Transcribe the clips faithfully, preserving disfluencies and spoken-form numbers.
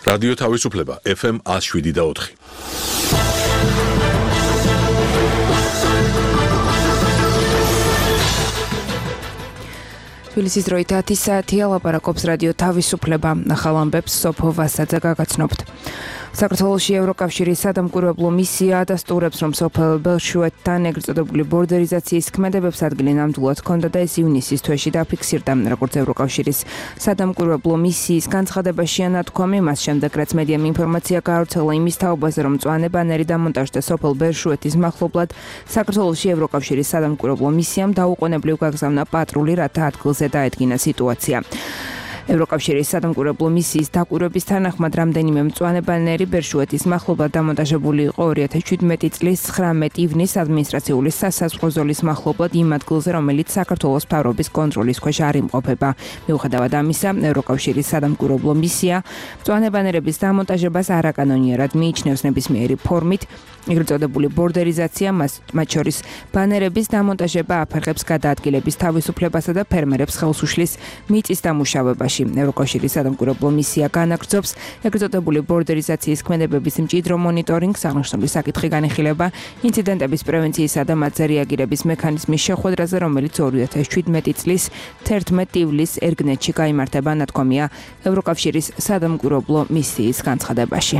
რადიო თავისუფლება ეფ ემ one oh seven და four. თბილისის დროით ათი საათია, ლაპარაკობს რადიო თავისუფლება. ახალ ამბებს სოფო ვასაძე გაგაცნობთ. საქართველოში ევროკავშირის სადამკვირვებლო მისია ადასტურებს, რომ სოფელ ბელშუეთთან ეგრეთ წოდებული ბორდერიზაციის ქმედებებს ადგილი ნამდვილად ჰქონდა და ეს ივნისის თვეში დაფიქსირდა. როგორც ევროკავშირის სადამკვირვებლო მისიის განცხადებაშია ნათქვამი, მას შემდეგ რაც მედიამ ინფორმაცია გაავრცელა იმის თაობაზე, რომ მწვანე ბანერი დამონტაჟდა სოფელ ბელშუეთის მახლობლად, საქართველოში ევროკავშირის სადამკვირვებლო მისიამ დაუყოვნებლივ გაგზავნა პატრული, რათა ადგილზე დაედგინა სიტუაცია. ევროკავშირის სადამკვირვებლო მისიის დაკვირვების თანახმად რამდენიმე მწვანე ბანერი ბერშუეთის მახლობლად დამონტაჟებული იყო ორი ათას შვიდმეტი წლის ცხრამეტ ივნისს ადმინისტრაციული სასაზღვრო ზოლის მახლობლად იმ ადგილზე, რომელიც საქართველოს მთავრობის კონტროლის ქვეშ არ იმყოფება. მიუხედავად ამისა, ევროკავშირის სადამკვირვებლო მისია მწვანე ბანერების დამონტაჟებას არაკანონიერად მიიჩნევს ნებისმიერი ფორმით. ეგრეთ წოდებული ბორდერიზაცია, მათ შორის ბანერების დამონტაჟება აფერხებს გადაადგილების თავისუფლებასა და ფერმერებს ხელს უშლის მიწის დამუშავებაში. ევროკავშირის სადამკვირვებლო მისია განაგრძობს ეგრეთ წოდებული ბორდერიზაციის ქმედებების მჭიდრო მონიტორინგს, აღნიშნული საკითხი განიხილება ინციდენტების პრევენციისა და მათზე რეაგირების მექანიზმის შეხვედრაზე, რომელიც ორი ათას შვიდმეტი წლის თერთმეტ ივლისს ერგნეთში გაიმართება, ნათქვამია ევროკავშირის სადამკვირვებლო მისიის განცხადებაში.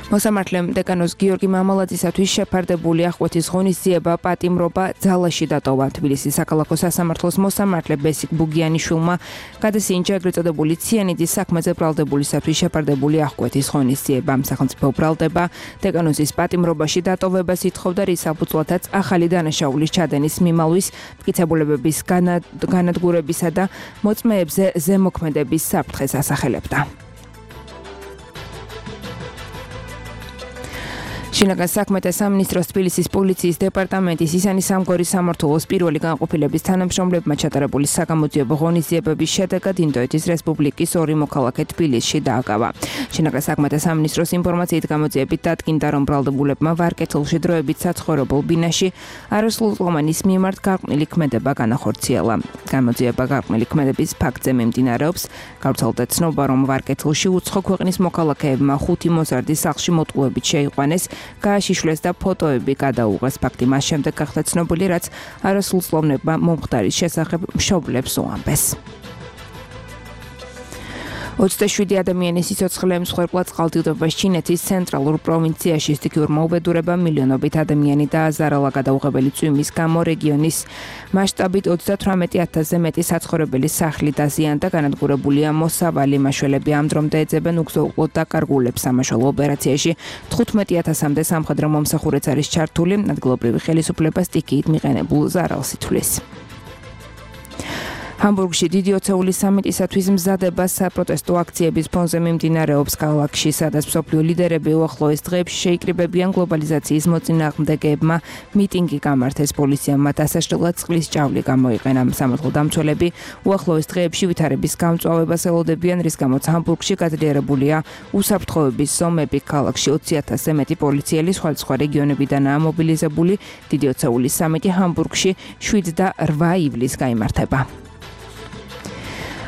მოსამართლემ დეკანოს გიორგი მამალაძისათვის შეფარდებული აღკვეთის ღონისძიება პატიმრობა ძალაში დატოვა. თბილისის საქალაქო სასამართლოს მოსამართლე ბესიკ ბუგიანიშვილმა გადასინჯა ეგრეთ წოდებული ციანიდის საქმეზე ბრალდებულისათვის შეფარდებული აღკვეთის ღონისძიება. სახელმწიფო ბრალდება დეკანოზის პატიმრობაში დატოვებას ითხოვდა, რის საფუძვლადაც ახალი დანაშაულის ჩადენის მიმალვის, მტკიცებულებების განადგურებისა და მოწმეებზე ზემოქმედების საფრთხეს ასახელებდა. შინაგან საქმეთა სამინისტროს თბილისის პოლიციის დეპარტამენტის ისანი სამგორის სამმართველოს პირველი განყოფილების თანამშრომლებმა ჩატარებული საგამოძიებო ღონისძიებების შედეგად ინდოეთის რესპუბლიკის ორი მოქალაქე თბილისში დააკავა. შინაგან საქმეთა სამინისტროს ინფორმაციით გამოძიებით დადგინდა, რომ ბრალდებულებმა ვარკეთილში დროებით საცხოვრებელ ბინაში არასრულწლოვანის მიმართ გარყვნილი ქმედება განახორციელა. გამოძიება გარყვნილი ქმედების ფაქტზე მიმდინარეობს. გავრცელდა ცნობა, რომ ვარკეთილში უცხო ქვეყნის მოქალაქეებმა ხუთი მოზარდის სახლში მოტყუებით შეიყვანეს, გააშიშვლეს და ფოტოები გადაუღეს. ფაქტი მას შემდეგ გახდა ცნობილი, რაც არასრულწლოვანებმა მომხდარის შესახებ მშობლებს უამბეს. ოცდაშვიდი ადამიანის სიცოცხლე მსხვერპლად წყალდიდობას ჩინეთის ცენტრალურ პროვინციაში სტიქიურმა უბედურებამ მილიონობით ადამიანი დააზარალა. გადაუღებელი წვიმის გამო რეგიონის მასშტაბით ოცდათვრამეტი ათასზე მეტი საცხოვრებელი სახლი დაზიანდა. განადგურებულია მოსავალი. მაშველები ამ დრომდე ეძებენ უგზო-უყლოდ დაკარგულებს. სამაშველო ოპერაციაში თხუთმეტი ათასამდე სამხედრო მომსახურეც არის ჩართული. ადგილობრივი ხელისუფლება სტიქიით მიყენებულ ზარალს ითვლის. ჰამბურგში დიდი ოცეულის სამიტისათვის მზადება საპროტესტო აქციების ფონზე მიმდინარეობს ქალაქში, სადაც მსოფლიო ლიდერები უახლოეს დღეებში შეიკრიბებიან გლობალიზაციის მოწინააღმდეგეებმა მიტინგი გამართეს. პოლიციამ მათ ასაშრელად წყლის ჭავლი გამოიყენა. სამართალდამცველები უახლოეს დღეებში ვითარების გამწვავებას ელოდებიან, რის გამოც ჰამბურგში გაძლიერებულია უსაფრთხოების ზომები. ქალაქში ოცი ათასზე მეტი პოლიციელი სხვადასხვა რეგიონებიდანაა მობილიზებული. დიდი ოცეულის სამიტი ჰამბურგში შვიდ და რვა ივლისს გაიმართება.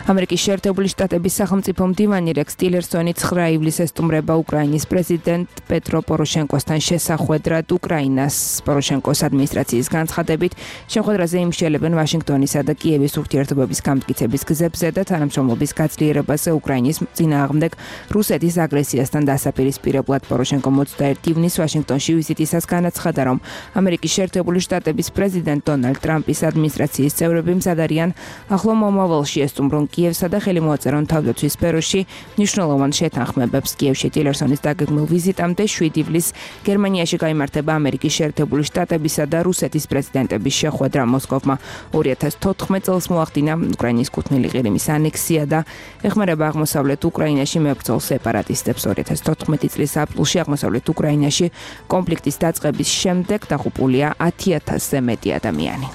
ამერიკის შეერთებული შტატების სახელმწიფო მდივანი რექს ტილერსონი ცხრა ივლისს ესტუმრება უკრაინის პრეზიდენტ პეტრო პოროშენკოსთან შესახვედრად. უკრაინას პოროშენკოს ადმინისტრაციის განცხადებით, შეხვედრაზე იმსჯელებენ ვაშინგტონისა და კიევის ურთიერთობების გამტკიცების გზებზე და თანამშრომლობის გაძლიერებაზე უკრაინის წინააღმდეგ რუსეთის აგრესიასთან დასაპირისპირებლად. პოროშენკომ ოცდაერთი ივნისს ვაშინგტონში ვიზიტისას განაცხადა, რომ ამერიკის შეერთებული შტატების პრეზიდენტ დონალდ ტრამპის ადმინისტრაციის წევრები მზად არიან ახლო მომავალში ესტუმრონ კიევსა და ხელი მოაწერონ თავდაცვის სფეროში მნიშვნელოვან შეთანხმებებს. კიევში ტილერსონის დაგეგმილ ვიზიტამდე შვიდი ივლისს გერმანიაში გაიმართება ამერიკის შეერთებული შტატებისა და რუსეთის პრეზიდენტების შეხვედრა. მოსკოვმა ორი ათას თოთხმეტ წელს მოახდინა უკრაინის კუთვნილი ყირიმის ანექსია და ეხმარება აღმოსავლეთ უკრაინაში მებრძოლ სეპარატისტებს. ორი ათას თოთხმეტი წლის აპრილში აღმოსავლეთ უკრაინაში კონფლიქტის დაწყების შემდეგ დაღუპულია ათი ათასზე მეტი ადამიანი.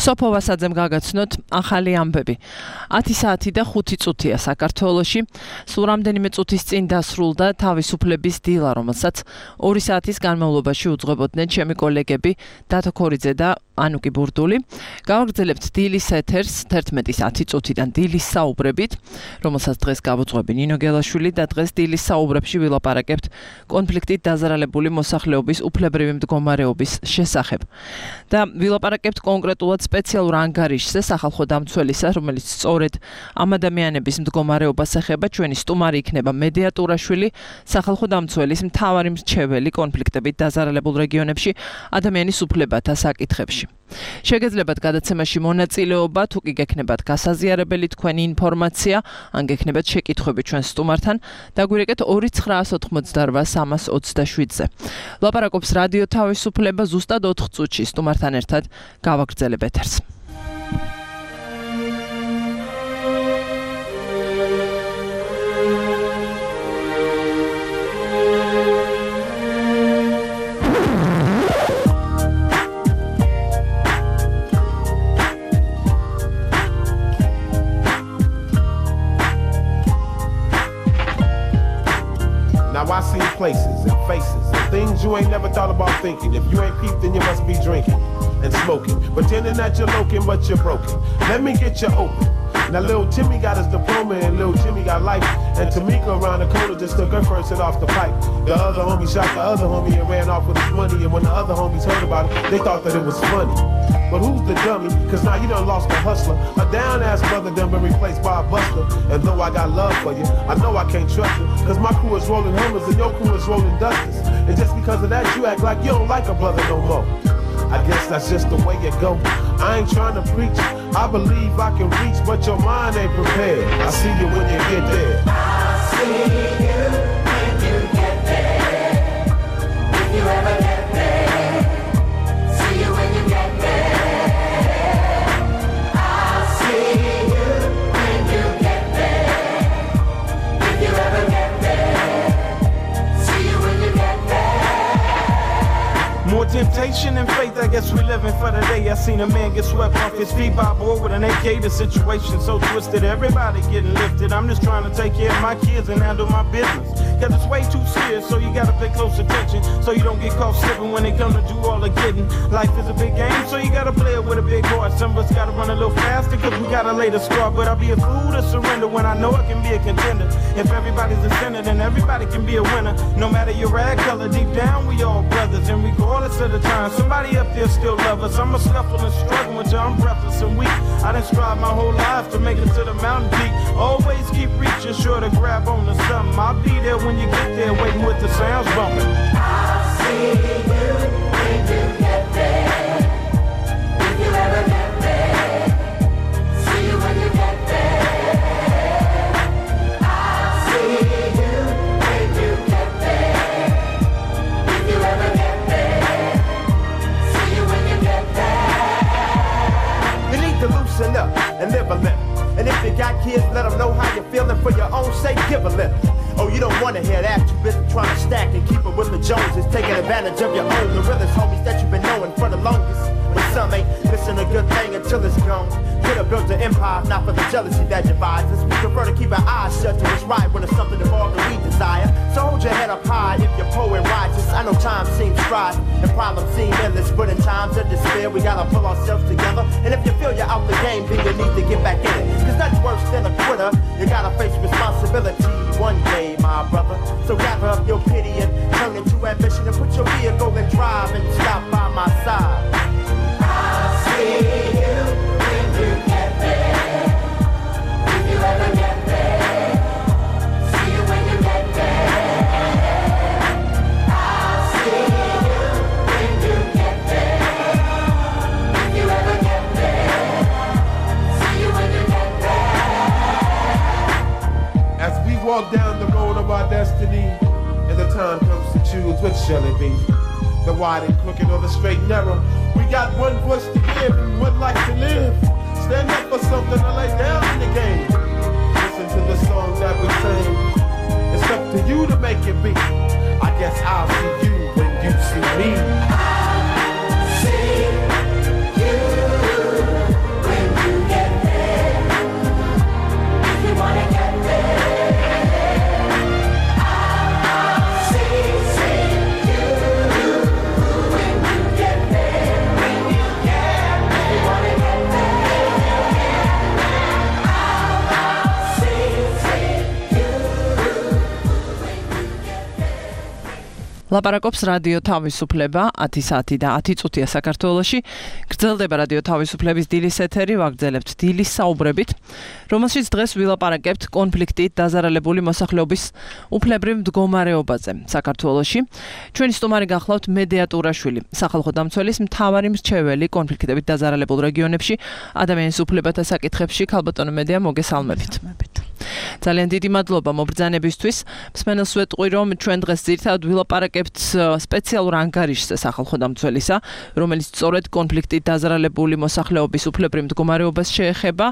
სოფო ვასაძემ გაგაცნოთ ახალი ამბები. ათი საათი და ხუთი წუთია საქართველოში. სულ რამდენიმე წუთის წინ დასრულდა თავისუფლების დილა, რომელსაც ორი საათის განმავლობაში უძღვებოდნენ ჩემი კოლეგები დათო ქორიძე და ანუკი ბურდული. გავაგრძელებთ დილის ეთერს თერთმეტის ათი წუთიდან დილის საუბრებით, რომელსაც დღეს გავუძღვები ნინო გელაშვილი და დღეს დილის საუბრებში ვილაპარაკებთ კონფლიქტით დაზარალებული მოსახლეობის უფლებრივი მდგომარეობის შესახებ. და ვილაპარაკებთ კონკრეტულად სპეციალურ ანგარიშზე სახალხო დამცველისა, რომელიც სწორედ ამ ადამიანების მდგომარეობას ეხება. ჩვენი სტუმარი იქნება მედიატურაშვილი, სახალხო დამცველის მთავარი მრჩეველი კონფლიქტებით დაზარალებულ რეგიონებში ადამიანის უფლებათა საკითხებში. შეგეძლებათ გადაცემაში მონაწილეობა, თუ კი გექნებათ გასაზიარებელი თქვენი ინფორმაცია, ან გექნებათ შეკითხვები ჩვენ სტუმართან, დაგვირეკეთ ორი ცხრაას ოთხმოცდარვა სამას ოცდაშვიდზე. ლაპარაკობს რადიო თავისუფლება ზუსტად ოთხ წუთში სტუმართან ერთად გავაგრძელებ ეთერს. I see places and faces and things you ain't never thought about thinking. If you ain't peeped, then you must be drinking and smoking, pretending that you're looking, but you're broken. Let me get you open. Now little Timmy got his diploma and little Jimmy got life, and Tamika around the corner just took her first hit off the pipe. The other homie shot the other homie and ran off with his money, and when the other homies heard about it, they thought that it was funny. But who's the dummy? Cause now you done lost a hustler. A down ass brother done been replaced by a buster. And though I got love for you, I know I can't trust you. Cause my crew is rolling Hummers and your crew is rolling Dusters. And just because of that, you act like you don't like a brother no more. I guess that's just the way it go. I ain't trying to preach. I believe I can reach, but your mind ain't prepared. I see you when you get there. I see you when you get there. If you ever get there. See you when you get there. I see you when you get there. If you ever get there. See you when you get there. More temptation and faith, I guess we living for the day. I seen a man get swept off his feet by a boy with an A K. The situation so twisted, everybody getting lifted. I'm just trying to take care of my kids and handle my business. Cause it's way too serious, so you gotta pay close attention, so you don't get caught slipping when they come to do all the getting. Life is a big game, so you gotta play it with a big heart. Some of us gotta run a little faster, cause we gotta lay the score. But I'll be a fool to surrender when I know I can be a contender. If everybody's a sinner, then everybody can be a winner. No matter your rag color, deep down we all brothers. And regardless of the time, somebody up there still love us. I'm a scuffle and struggle until I'm breathless and weak. I done strive my whole life to make it to the mountain peak. Always keep reaching, sure to grab on to something. I'll be there when you get there, waiting with the sounds bumping. I'll see you when you get there. If you ever get there. See you when you get there. I'll see you when you get there. If you ever get there. See you when you get there. You need to loosen up and live a life. And if you got kids, let them know how you're feeling. For your own sake, give a lift. Oh, you don't wanna hear that. You been trying to stack and keep it with the Joneses, taking advantage of your own, the realest homies that you've been knowing for the longest. But some ain't missing a good thing until it's gone. Could have built an empire, not for the jealousy that divides us. We prefer to keep our eyes shut to what's right when it's something involved that we desire. So hold your head up high if you're poor and righteous. I know time seems strife and problems seem endless, but in times of despair, we gotta pull ourselves together. And if you feel you're out the game, then you need to get back in it. Cause nothing's worse than a quitter. You gotta face responsibility one day, my brother. So gather up your pity and turn it to ambition and put your vehicle and drive and stop by my side. I'll see you when you get there. If you ever get there. See you when you get there. I'll see you when you get there. If you ever get there. See you when you get there. As we walk down the road of our destiny, and the time comes to choose, which shall it be? The wide and crooked or the straight and narrow? We got one voice to give and one life to live. Stand up for something to lay down in the game. Listen to the song that we sing. It's up to you to make it be. I guess I'll see you when you see me. I'll see you ლაპარაკობს რადიო თავისუფლება ათი საათი და ათი წუთია საქართველოში. გრძელდება რადიო თავისუფლების დილის ეთერი, ვაგრძელებთ დილის საუბრებით, რომელშიც დღეს ვილაპარაკებთ კონფლიქტით დაზარალებული მოსახლეობის უფლებრივ მდგომარეობაზე საქართველოში. ჩვენი სტუმარი გახლავთ მედია ტურაშვილი, სახალხო დამცველის მთავარი მრჩეველი კონფლიქტებით დაზარალებულ რეგიონებში ადამიანის უფლებათა საკითხებში. ქალბატონო მედია, მოგესალმებით. ძალიან დიდი მადლობა მობრძანებისთვის. მსმენელს ვეტყვი, რომ ჩვენ დღეს ძირითადად ვილაპარაკებთ სპეციალურ ანგარიშზე სახალხო დამცველისა, რომელიც სწორედ კონფლიქტით დაზარალებული მოსახლეობის უფლებრივ მდგომარეობას შეეხება.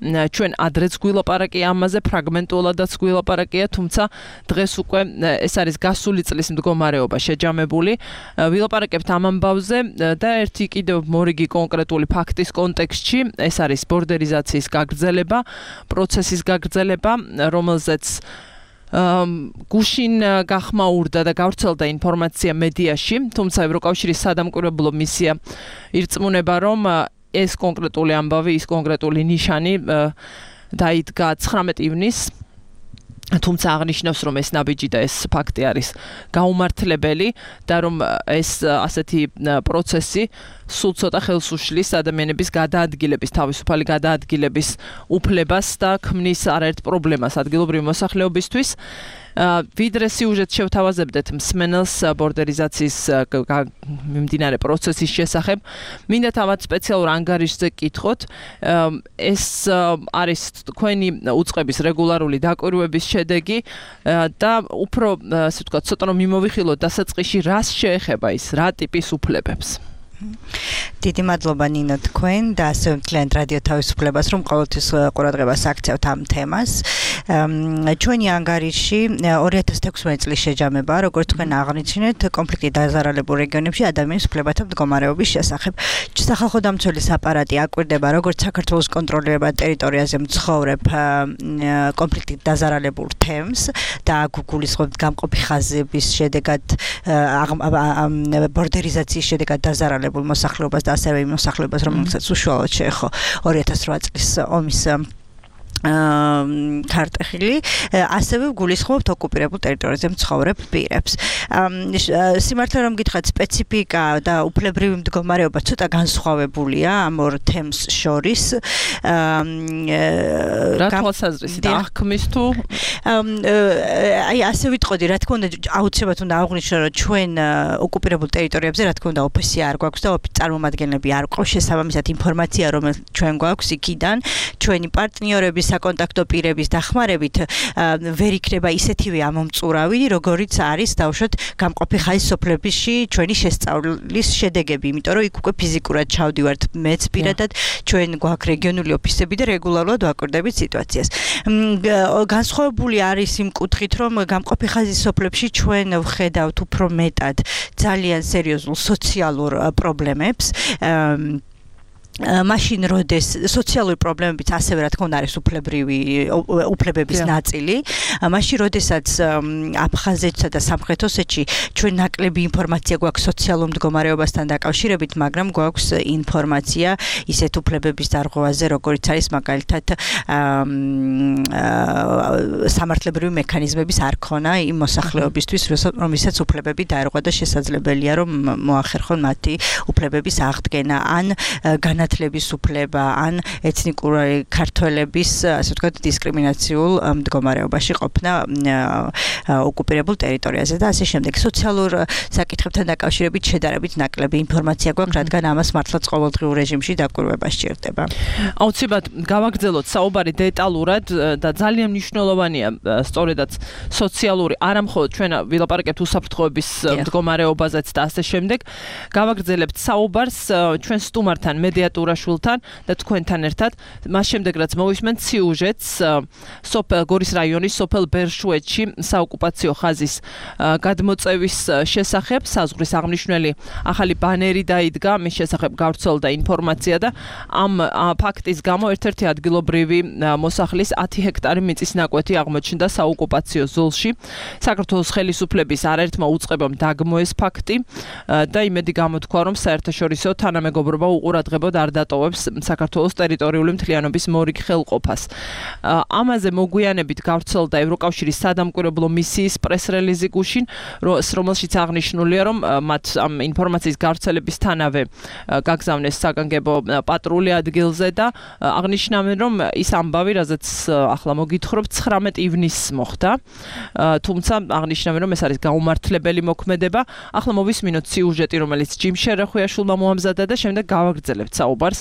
ჩვენ ადრეც გვილაპარაკია ამაზე, ფრაგმენტულადაც გვილაპარაკია, თუმცა დღეს უკვე ეს არის გასული წლის მდგომარეობა შეჯამებული. ვილაპარაკებთ ამ ამბავზე და ერთი კიდევ მორიგი კონკრეტული ფაქტის კონტექსტში, ეს არის ბორდერიზაციის გაგრძელება, პროცესის გაგრძელება, რომელზეც გუშინ გახმაურდა და გავრცელდა ინფორმაცია მედიაში, თუმცა ევროკავშირის სადამკვირვებლო მისია ირწმუნება, რომ ეს კონკრეტული ამბავი, ის კონკრეტული ნიშანი დაიდგა ცხრამეტ ივნისს. თუმცა აღნიშნავს, რომ ეს ნაბიჯი და ეს ფაქტი არის გაუმართლებელი და რომ ეს ასეთი პროცესი სულ ცოტა ხელს უშლის ადამიანების გადაადგილების, თავისუფალი გადაადგილების უფლებას და ქმნის არაერთ პრობლემას ადგილობრივი მოსახლეობისთვის. ვიდრე სიუჟეტს შევთავაზებდეთ მსმენელს ბორდერიზაციის მიმდინარე პროცესის შესახებ, მინდა თავად სპეციალურ ანგარიშზე კითხოთ. ეს არის თქვენი უწყების რეგულარული დაკვირვების შედეგი და უფრო, ასე ვთქვათ, ცოტა რომ მიმოვიხილოთ დასაწყისში, რას შეეხება ის, რა ტიპის უფლებებს? დიდი მადლობა ნინო თქვენ და ასევე მთლიან რადიო თავისუფლებას, რომ ყოველთვის ყურადღებას აქცევთ ამ თემას. ჩვენი ანგარიში ორი ათას თექვსმეტი წლის შეჯამება, როგორც თქვენ აღნიშნეთ, კონფლიქტით დაზარალებულ რეგიონებში ადამიანის უფლებათა მდგომარეობის შესახებ. სახალხო დამცველის აპარატი აკვირდება, როგორც საქართველოს კონტროლირებად ტერიტორიაზე მცხოვრებ კონფლიქტით დაზარალებულ თემს და გულისხმობთ გამყოფი ხაზების შედეგად ბორდერიზაციის შედეგად დაზარალებულ მოსახლეობას და ასევე იმ მოსახლეობას, რომელსაც უშუალოდ შეეხო ორი ათას რვა წლის ომის ქარტეხილი, ასევე გულისხმობთ ოკუპირებულ ტერიტორიაზე მცხოვრებ პირებს. სიმართლე რომ გითხრათ, სპეციფიკა და უფლებრივი მდგომარეობა ცოტა განსხვავებულია ამ ორ თემს შორის. რა თვალსაზრისით აღქმის თუ აი ასე ვიტყოდი, რა თქმა უნდა, აუცილებლად უნდა აღვნიშნო, რომ ჩვენ ოკუპირებულ ტერიტორიებზე, რა თქმა უნდა, ოფისი არ გვაქვს და წარმომადგენლები არ გვყავს, შესაბამისად ინფორმაცია, რომელიც ჩვენ გვაქვს იქიდან, ჩვენი პარტნიორები საკონტაქტო პირების დახმარებით ვერ იქნება ისეთივე ამომწურავი, როგორიც არის დავუშვათ გამყოფი ხაზის სოფლებში ჩვენი შესწავლის შედეგები, იმიტომ რომ იქ უკვე ფიზიკურად ჩავდივართ მეც პირადად, ჩვენ გვაქვს რეგიონული ოფისები და რეგულარულად ვაკვირდებით სიტუაციას. განსხვავებული არის იმ კუთხით, რომ გამყოფი ხაზის სოფლებში ჩვენ ვხედავთ უფრო მეტად ძალიან სერიოზულ სოციალურ პრობლემებს. მაშინ როდეს სოციალური პრობლემებიც ასევე რა თქმა უნდა არის უფლებრივი უფლებების ნაწილი, მაშინ როდესაც აფხაზეთსა და სამხრეთ ოსეთში ჩვენ ნაკლები ინფორმაცია გვაქვს სოციალურ მდგომარეობასთან დაკავშირებით, მაგრამ გვაქვს ინფორმაცია ისეთ უფლებების დარღვევაზე, როგორიც არის მაგალითად სამართლებრივი მექანიზმების არქონა იმ მოსახლეობისთვის, რომელსაც უფლებები დაერღვა და შესაძლებელია რომ მოახერხონ მათი უფლებების აღდგენა ან განათლების უფლება ან ეთნიკური ქართველების, ასე ვთქვათ, დისკრიმინაციულ მდგომარეობაში ყოფნა ოკუპირებულ ტერიტორიაზე და ასე შემდეგ. სოციალურ საკითხებთან დაკავშირებით შედარებით ნაკლები ინფორმაცია გვაქვს, რადგან ამას მართლაც ყოველდღიურ რეჟიმში დაკვირვება სჭირდება. აუცილებლად გავაგრძელოთ საუბარი დეტალურად და ძალიან მნიშვნელოვანია სწორედაც სოციალური, არა მხოლოდ ჩვენ ვილაპარაკებთ უსაფრთხოების მდგომარეობაზეც და ასე შემდეგ. გავაგრძელებთ საუბარს ჩვენ სტუმართან მედია ტურაშვილთან და თქვენთან ერთად. მას შემდეგ რაც მოვისმენთ სიუჟეტს სოფელ გორის რაიონის სოფელ ბერშუეთში საოკუპაციო ხაზის გადმოწევის შესახებ, საზღვრის აღნიშნული ახალი ბანერი დაიდგა, მის შესახებ გავრცელდა ინფორმაცია და ამ ფაქტის გამო ერთ-ერთი ადგილობრივი მოსახლის ათი ჰექტარი მიწის ნაკვეთი აღმოჩნდა საოკუპაციო ზოლში. საქართველოს ხელისუფლების არაერთმა უწყებამ დაგმო ეს ფაქტი და იმედი გამოთქვა, რომ საერთაშორისო თანამეგობრობა უყურადღებოდ არ დატოვებს საქართველოს ტერიტორიული მთლიანობის მორიგ ხელყოფას. ამაზე მოგვიანებით გავრცელდა ევროკავშირის სადამკვირვებლო მისიის პრეს-რელიზი გუშინ, რომელშიც აღნიშნულია, რომ მათ ამ ინფორმაციის გავრცელებისთანავე გაგზავნეს საგანგებო პატრული ადგილზე და აღნიშნავენ, რომ ის ამბავი, რაზეც ახლა მოგითხრობ, ცხრამეტ ივნისს მოხდა. თუმცა აღნიშნავენ, რომ ეს არის გაუმართლებელი მოქმედება. ახლა მოვისმინოთ სიუჟეტი, რომელიც ჯიმ შერახვიაშვილმა მოამზადა და შემდეგ გავაგრძელებთ საუბარს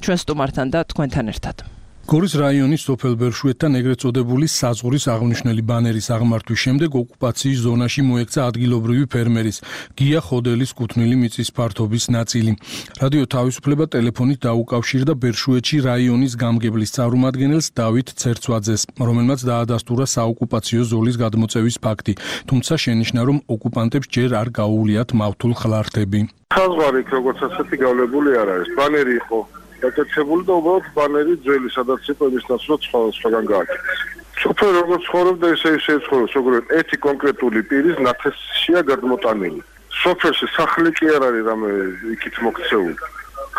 ჩვენ სტუმართან და თქვენთან ერთად. გორის რაიონის სოფელ ბერშუეთთან ეგრეთ წოდებული საზღვრის აღნიშნული ბანერის აღმართვის შემდეგ ოკუპაციის ზონაში მოექცა ადგილობრივი ფერმერის გია ხოდელის კუთვნილი მიწის ფართობის ნაწილი. რადიო თავისუფლება ტელეფონით დაუკავშირდა ბერშუეთში რაიონის გამგებლის წარმომადგენელს დავით ცერცვაძეს, რომელმაც დაადასტურა საოკუპაციო ზოლის გადმოწევის ფაქტი, თუმცა შენიშნა, რომ ოკუპანტებს ჯერ არ გაუვლიათ მავთულ ხლართები. საზღვარი როგორც ასეთი გავლებული არ არის, ბანერი იყო აკეთებული და უბრალოდ ბანერი ძველი, სადაც იყო იმის ნაცვლად სხვაგან გააკეთეს. სოფელი როგორც ცხოვრობდა, ისე ისე ცხოვრობს, როგორც ერთი კონკრეტული პირის ნათესშია გადმოტანილი. სოფელში სახლი კი არ არის რამე იქით მოქცეული.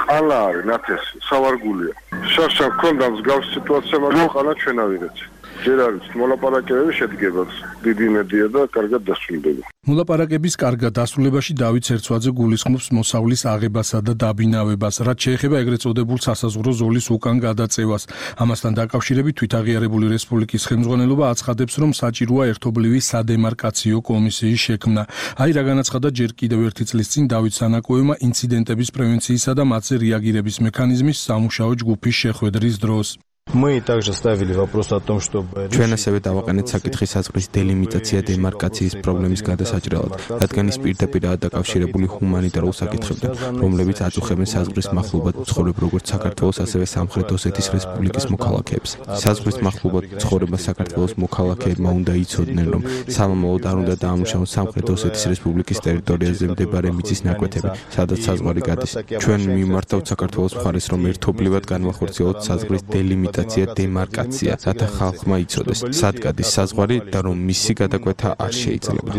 ყალა არის ნათესი, სავარგულია. შარშან ქონდა მსგავს სიტუაცია, მაგრამ ყალა ჩვენავირეთ. ჯერ არის მოლაპარაკებები შედგება, დიდი იმედია და კარგად დასრულდება. მოლაპარაკების კარგად დასრულებაში დავით ცერცვაძე გულისხმობს მოსავლის აღებასა და დაბინავებას, რაც შეეხება ეგრეთ წოდებულ სასაზღვრო ზოლის უკან გადაწევას. ამასთან დაკავშირებით თვითაღიარებული რესპუბლიკის ხელმძღვანელობა აცხადებს, რომ საჭიროა ერთობლივი სადემარკაციო კომისიის შექმნა. აი რა განაცხადა ჯერ კიდევ ერთი წლის წინ დავით სანაკოევმა ინციდენტების პრევენციისა და მათზე რეაგირების მექანიზმის სამუშაო ჯგუფის შეხვედრის დროს. Мы также ставили вопрос о том, чтобы ჩვენ ასევე დავაყენეთ საკითხი საზღვრის დელიმიტაცია დემარკაციის პრობლემის გადასაჭრელად, რადგან ის პირდაპირაა დაკავშირებული ჰუმანიტარულ საკითხებთან, რომლებიც აწუხებენ საზღვრის მახლობლად მცხოვრებ როგორც საქართველოს, ასევე სამხრეთ ოსეთის რესპუბლიკის მოქალაქეებს. საზღვრის მახლობლად მცხოვრება საქართველოს მოქალაქეებმა უნდა იცოდნენ, რომ სამომავლოდ არ უნდა დაამუშავონ სამხრეთ ოსეთის რესპუბლიკის ტერიტორიაზე მდებარე მიწის ნაკვეთები, სადაც საზღვარი გადის. ჩვენ მიმართავთ საქართველოს მხარეს, რომ ერთობლივად განვახორციელოთ საზღვრის დელიმიტაცია დემარკაცია, რათა ხალხმა იცოდეს, სად გადის საზღვარი და რომ მისი გადაკვეთა არ შეიძლება.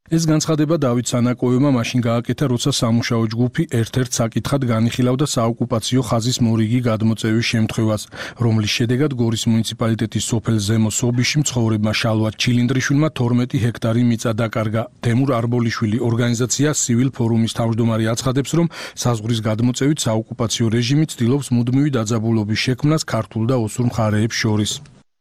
ეს განცხადება დავით სანაკოევმა მაშინ გააკეთა, როცა სამუშაო ჯგუფი ერთ-ერთ საკითხად განიხილავდა საოკუპაციო ხაზის მორიგი გადმოწევის შემთხვევას, რომლის შედეგად გორის მუნიციპალიტეტის სოფელ ზემო სობიში მცხოვრებმა შალვა ჩილინდრიშვილმა თორმეტი ჰექტარი მიწა დაკარგა. თემურ არბოლიშვილი ორგანიზაცია სივილ ფორუმის თავმჯდომარე აცხადებს, რომ საზღვრის გადმოწევით საოკუპაციო რეჟიმი ცდილობს მუდმივი დაძაბულობის შექმნას ქართულ და ოსურ მხარეებს შორის.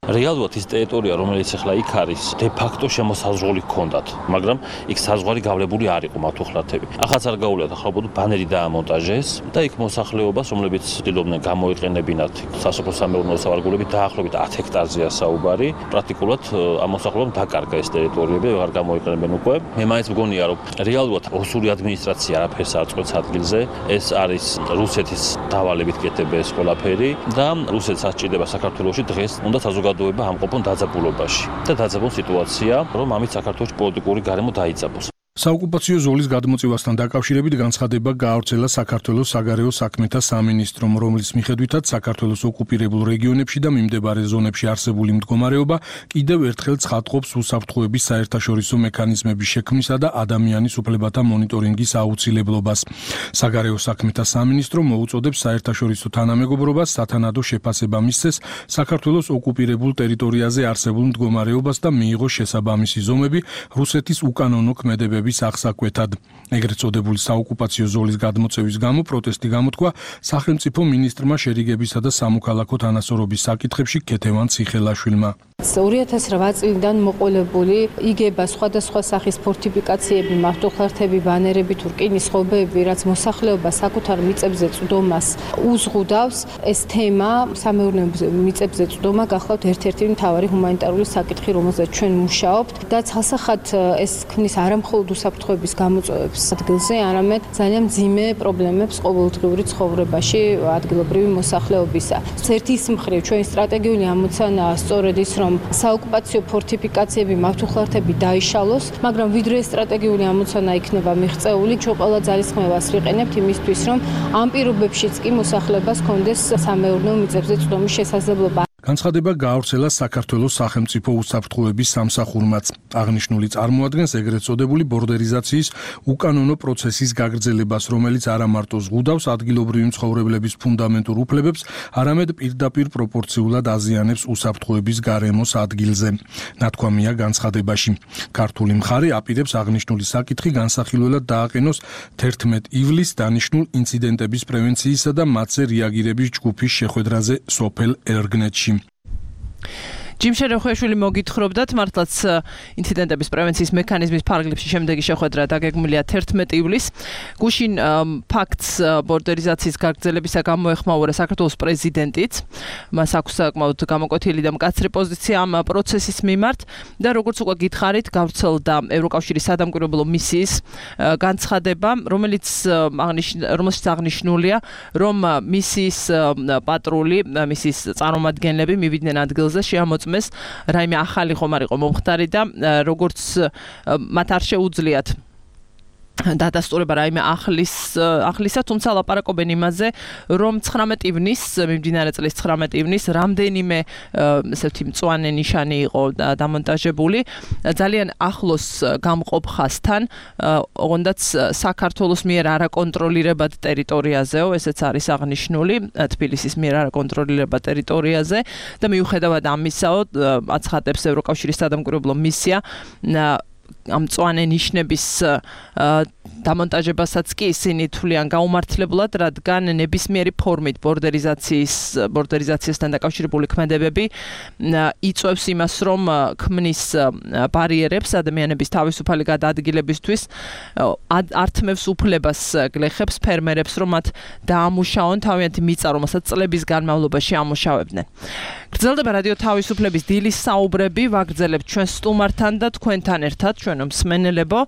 რეალურად ის ტერიტორია, რომელიც ახლა იქ არის, de facto შემოსაზღვრული ჰქონდათ, მაგრამ იქ საზღვარი გავლებული არ იყო მათო ხლათები. ახაც არ გაუვლიათ, ახლა უბრალოდ ბანერი დაამონტაჟეს და იქ მოსახლეობას, რომლებიც ცდილობდნენ გამოიყენებინათ სასოფლო-სამეურნეო სავარგულებით, დაახლოებით ათ ჰექტარზეა საუბარი. პრაქტიკულად ამ მოსახლეობამ დაკარგა ეს ტერიტორიები, აღარ გამოიყენებენ უკვე. მე მაინც მგონია, რომ რეალურად ოსური ადმინისტრაცია არაფერს არ წყვეტს ადგილზე. ეს არის რუსეთის დავალებით კეთება ეს ყველაფერი და რუსეთს ასჭირდება საქართველოში დღეს უნდა საზოგადოება ამყოფონ დაძაბულობაში და დაძაბულ სიტუაცია, რომ ამით საქართველოს პოლიტიკური გარემო დაიძაბოს. საოკუპაციო ზოლის გადმოწევასთან დაკავშირებით განცხადება გაავრცელა საქართველოს საგარეო საქმეთა სამინისტრომ, რომლის მიხედვითაც საქართველოს ოკუპირებულ რეგიონებში და მიმდებარე ზონებში არსებული მდგომარეობა კიდევ ერთხელ ცხადყოფს უსაფრთხოების საერთაშორისო მექანიზმების შექმნისა და ადამიანის უფლებათა მონიტორინგის აუცილებლობას. საგარეო საქმეთა სამინისტრო მოუწოდებს საერთაშორისო თანამეგობრობას სათანადო შეფასება მისცეს საქართველოს ოკუპირებულ ტერიტორიაზე არსებულ მდგომარეობას და მიიღოს შესაბამისი ზომები რუსეთის უკანონო ქმედებების აღსაკვეთად. ეგრეთ წოდებული საოკუპაციო ზოლის გადმოწევის გამო პროტესტი გამოთქვა სახელმწიფო მინისტრმა შერიგებისა და სამოქალაქო თანასწორობის საკითხებში ქეთევან ციხელაშვილმა. ორი ათას რვა წლიდან მოყოლებული იგება სხვადასხვა სახის ფორტიფიკაციები, მავთულხლართები, ბანერები, თურკინის ხობები, რაც მოსახლეობას საკუთარ მიწებზე წვდომას უზღუდავს, ეს თემა სამეურნეო მიწებზე წვდომა გახლავთ ერთ-ერთი მთავარი ჰუმანიტარული საკითხი, რომელზეც ჩვენ მუშაობთ და ცალსახად ეს ქმნის არამხოლოდ უსაფრთხოების გამოწვევებს ადგილზე, არამედ ძალიან მძიმე პრობლემებს ყოველდღიური ცხოვრებაში ადგილობრივი მოსახლეობისა. ერთის მხრივ ჩვენი სტრატეგიული ამოცანაა სწორედ ის, რომ საოკუპაციო ფორტიფიკაციები, მავთულხლართები დაიშალოს, მაგრამ ვიდრე სტრატეგიული ამოცანა იქნება მიღწეული, ჩვენ ყველა ძალისხმევას ვიყენებთ იმისთვის, რომ ამ პირობებშიც კი მოსახლეობას ჰქონდეს სამეურნეო მიწებზე წვდომის შესაძლებლობა. განცხადება გაავრცელა საქართველოს სახელმწიფო უსაფრთხოების სამსახურმაც. აღნიშნული წარმოადგენს ეგრეთ წოდებული ბორდერიზაციის უკანონო პროცესის გაგრძელებას, რომელიც არა მარტო ზღუდავს ადგილობრივი მცხოვრებლების ფუნდამენტურ უფლებებს, არამედ პირდაპირ პროპორციულად აზიანებს უსაფრთხოების გარემოს ადგილზე. ნათქვამია განცხადებაში. ქართული მხარე აპირებს აღნიშნული საკითხი განსახილველად დააყენოს თერთმეტ ივლისს დანიშნულ ინციდენტების პრევენციისა და მათზე რეაგირების ჯგუფის შეხვედრაზე სოფელ ერგნეთში. ჯიმ შერეხვეშვილი მოგითხრობდათ, მართლაც ინციდენტების პრევენციის მექანიზმის ფარგლებში შემდეგი შეხვედრა დაგეგმილია თერთმეტ ივლისს. გუშინ ფაქტს ბორდერიზაციის გაგრძელებისა გამოეხმაურა საქართველოს პრეზიდენტიც. მას აქვს საკმაოდ გამოკვეთილი და მკაცრი პოზიცია ამ პროცესის მიმართ და როგორც უკვე გითხარით, გავრცელდა ევროკავშირის სადამკვირვებლო მისიის განცხადება, რომელიც რომელშიც აღნიშნულია, რომ მისიის პატრული, მისიის წარმომადგენლები მივიდნენ ადგილზე, შეამოწმეს რაიმე ახალი ხომ არ იყო მომხდარი და როგორც მათ არ შეუძლიათ დადასტურება რაიმე ახლის ახლისა, თუმცა ლაპარაკობენ იმაზე, რომ ცხრამეტ ივნისს, მიმდინარე წლის ცხრამეტ ივნისს რამდენიმე ესეთი მწვანე ნიშანი იყო დამონტაჟებული. ძალიან ახლოს გამყოფ ხაზთან, ოღონდაც საქართველოს მიერ არაკონტროლირებად ტერიტორიაზეო, ესეც არის აღნიშნული, თბილისის მიერ არაკონტროლირებად ტერიტორიაზე და მიუხედავად ამისაო, აცხადებს ევროკავშირის სადამკვირვებლო მისია ამ მწვანე ნიშნების დამონტაჟებასაც კი ისინი თვლიან გაუმართლებლად, რადგან ნებისმიერი ფორმით ბორდერიზაციის ბორდერიზაციასთან დაკავშირებული ქმედებები იწვევს იმას, რომ ქმნის ბარიერებს ადამიანების თავისუფალი გადაადგილებისთვის, ართმევს უფლებას გლეხებს, ფერმერებს, რომ მათ დაამუშაონ თავიანთი მიწა, რომელსაც წლების განმავლობაში ამუშავებდნენ. გრძელდება რადიო თავისუფლების დილის საუბრები, ვაგრძელებთ ჩვენ სტუმართან და თქვენთან ერთად, ჩვენო მსმენელებო.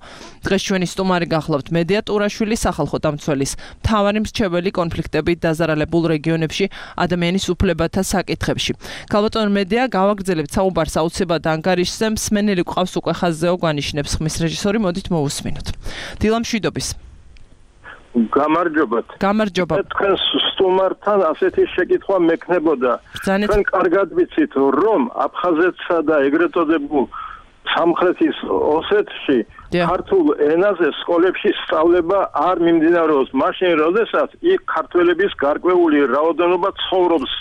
დღეს ჩვენი სტუმარი გახლავთ მედია ტურაშვილი, სახალხო დამცველის მთავარი მრჩეველი კონფლიქტებით დაზარალებულ რეგიონებში ადამიანის უფლებათა საკითხებში. ქალბატონ მედია, გავაგრძელებთ საუბარს აუცილებლად ანგარიშზე, მსმენელი გვყავს უკვე ხაზზეო, გვანიშნებს ხმის რეჟისორი, მოდით მოვუსმინოთ. დილა მშვიდობის. გამარჯობათ. გამარჯობა. თქვენ სტუმართან ასეთი შეკითხვა მექნებოდა. თქვენ კარგად ვიცით, რომ აფხაზეთსა და ეგრეთ წოდებულ სამხრეთის ოსეთში ქართულ ენაზე სკოლებში სწავლება არ მიმდინარეობს. მაშინ, როდესაც იქ ქართველების გარკვეული რაოდენობა ცხოვრობს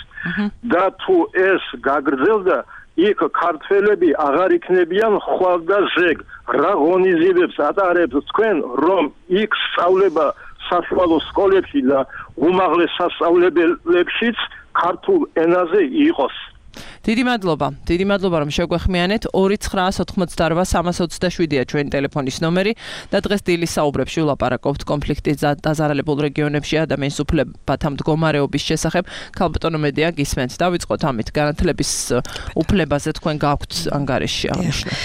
და თუ ეს გაგრძელდა, იქ ქართველები აღარ იქნებიან ხვალ და ზეგ. რა ღონისძიებებს ატარებთ თქვენ, რომ იქ სწავლება საშუალო სკოლებში და უმაღლეს სასწავლებელებშიც ქართულ ენაზე იყოს? დიდი მადლობა. დიდი მადლობა, რომ შეგვეხმიანეთ. ორი ცხრა ოთხმოცდარბა სამას ოცდაშვიდია ჩვენი ტელეფონის ნომერი და დღეს დილის საუბრებში ვლაპარაკობთ კონფლიქტის დაზარალებულ რეგიონებში ადამიანის უფლებათა მდგომარეობის შესახებ. ქალბატონო მედია, გისმენთ. დავიწყოთ ამით. განათლების უფლებაზე თქვენ გაქვთ ანგარიში აღნიშნული.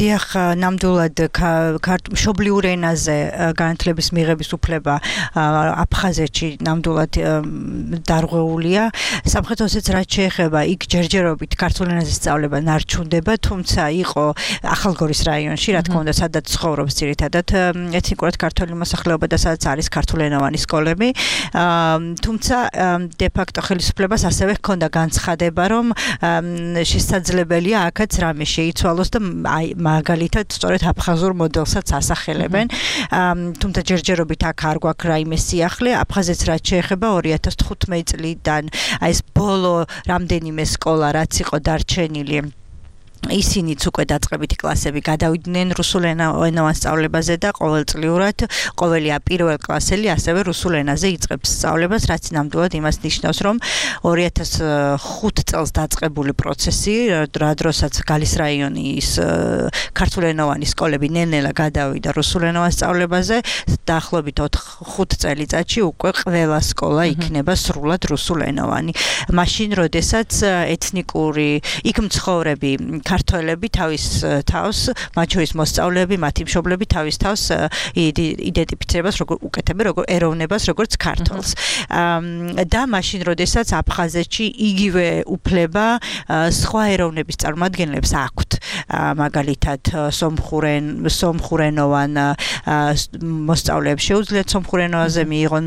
დიახ, ნამდვილად მშობლიურ ენაზე განათლების მიღების უფლება აფხაზეთში ნამდვილად დარღვეულია. სამხრეთ ოსეთს რაც შეეხება, იქ ჯერჯერობით ქართულ ენაზე სწავლება ნარჩუნდება, თუმცა იყო ახალგორის რაიონში, რა თქმა უნდა, სადაც ცხოვრობს ძირითადად ეთნიკურად ქართული მოსახლეობა და სადაც არის ქართულენოვანი სკოლები. თუმცა დე ფაქტო ხელისუფლებას ასევე ჰქონდა განცხადება, რომ შესაძლებელია აქაც რამე შეიცვალოს და მაგალითად სწორედ აფხაზურ მოდელსაც ასახელებენ. თუმცა ჯერჯერობით აქ არ გვაქვს რაიმე სიახლე. აფხაზეთს რაც შეეხება ორი ათას თხუთმეტი წლიდან აი ეს ბოლო რამდენიმე სკოლა რაც იყო დარჩენილი, ისინიც უკვე დაწყებითი კლასები გადავიდნენ რუსულ ენოვან სწავლებაზე და ყოველწლიურად ყოველი პირველ კლასელი ასევე რუსულ ენაზე იწყებს სწავლებას, რაც ნამდვილად იმას ნიშნავს, რომ ორი ათას ხუთი წელს დაწყებული პროცესი, რა დროსაც გალის რაიონის ქართულენოვანი სკოლები ნელ-ნელა გადავიდა რუსულ ენოვან სწავლებაზე, დაახლოებით ხუთ წელიწადში უკვე ყველა სკოლა იქნება სრულად რუსულ ენოვანი. მაშინ, როდესაც ეთნიკური იქ მცხოვრები ქართველები თავის თავს, მათ შორის მოსწავლეები, მათი მშობლები თავის თავს იდენტიფიცირებას როგორ უკეთებენ, როგორ ეროვნებას, როგორც ქართველს. და მაშინ, როდესაც აფხაზეთში იგივე უფლება სხვა ეროვნების წარმომადგენლებს აქვთ. მაგალითად, სომხურენ, სომხურენოვან მოსწავლეებს შეუძლიათ სომხურენოვანზე მიიღონ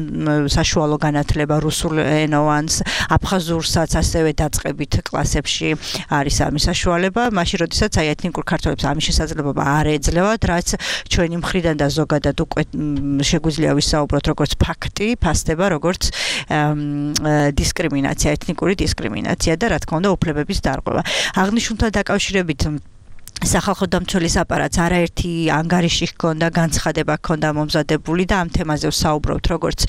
საშუალო განათლება, რუსულენოვანს, აფხაზურსაც ასევე დაწყებით კლასებში არის ამის საშუალება. მაშინ, როდესაც აი ეთნიკურ ქართველებს ამის შესაძლებლობა არ ეძლევათ, რაც ჩვენი მხრიდან და ზოგადად უკვე შეგვიძლია ვისაუბროთ როგორც ფაქტი, ფასდება როგორც დისკრიმინაცია, ეთნიკური დისკრიმინაცია და რა თქმა უნდა უფლებების დარღვევა. აღნიშნულთან დაკავშირებით სახალხო დამცველის აპარატს არაერთი ანგარიში ჰქონდა, განცხადება ჰქონდა მომზადებული და ამ თემაზე ვსაუბრობთ როგორც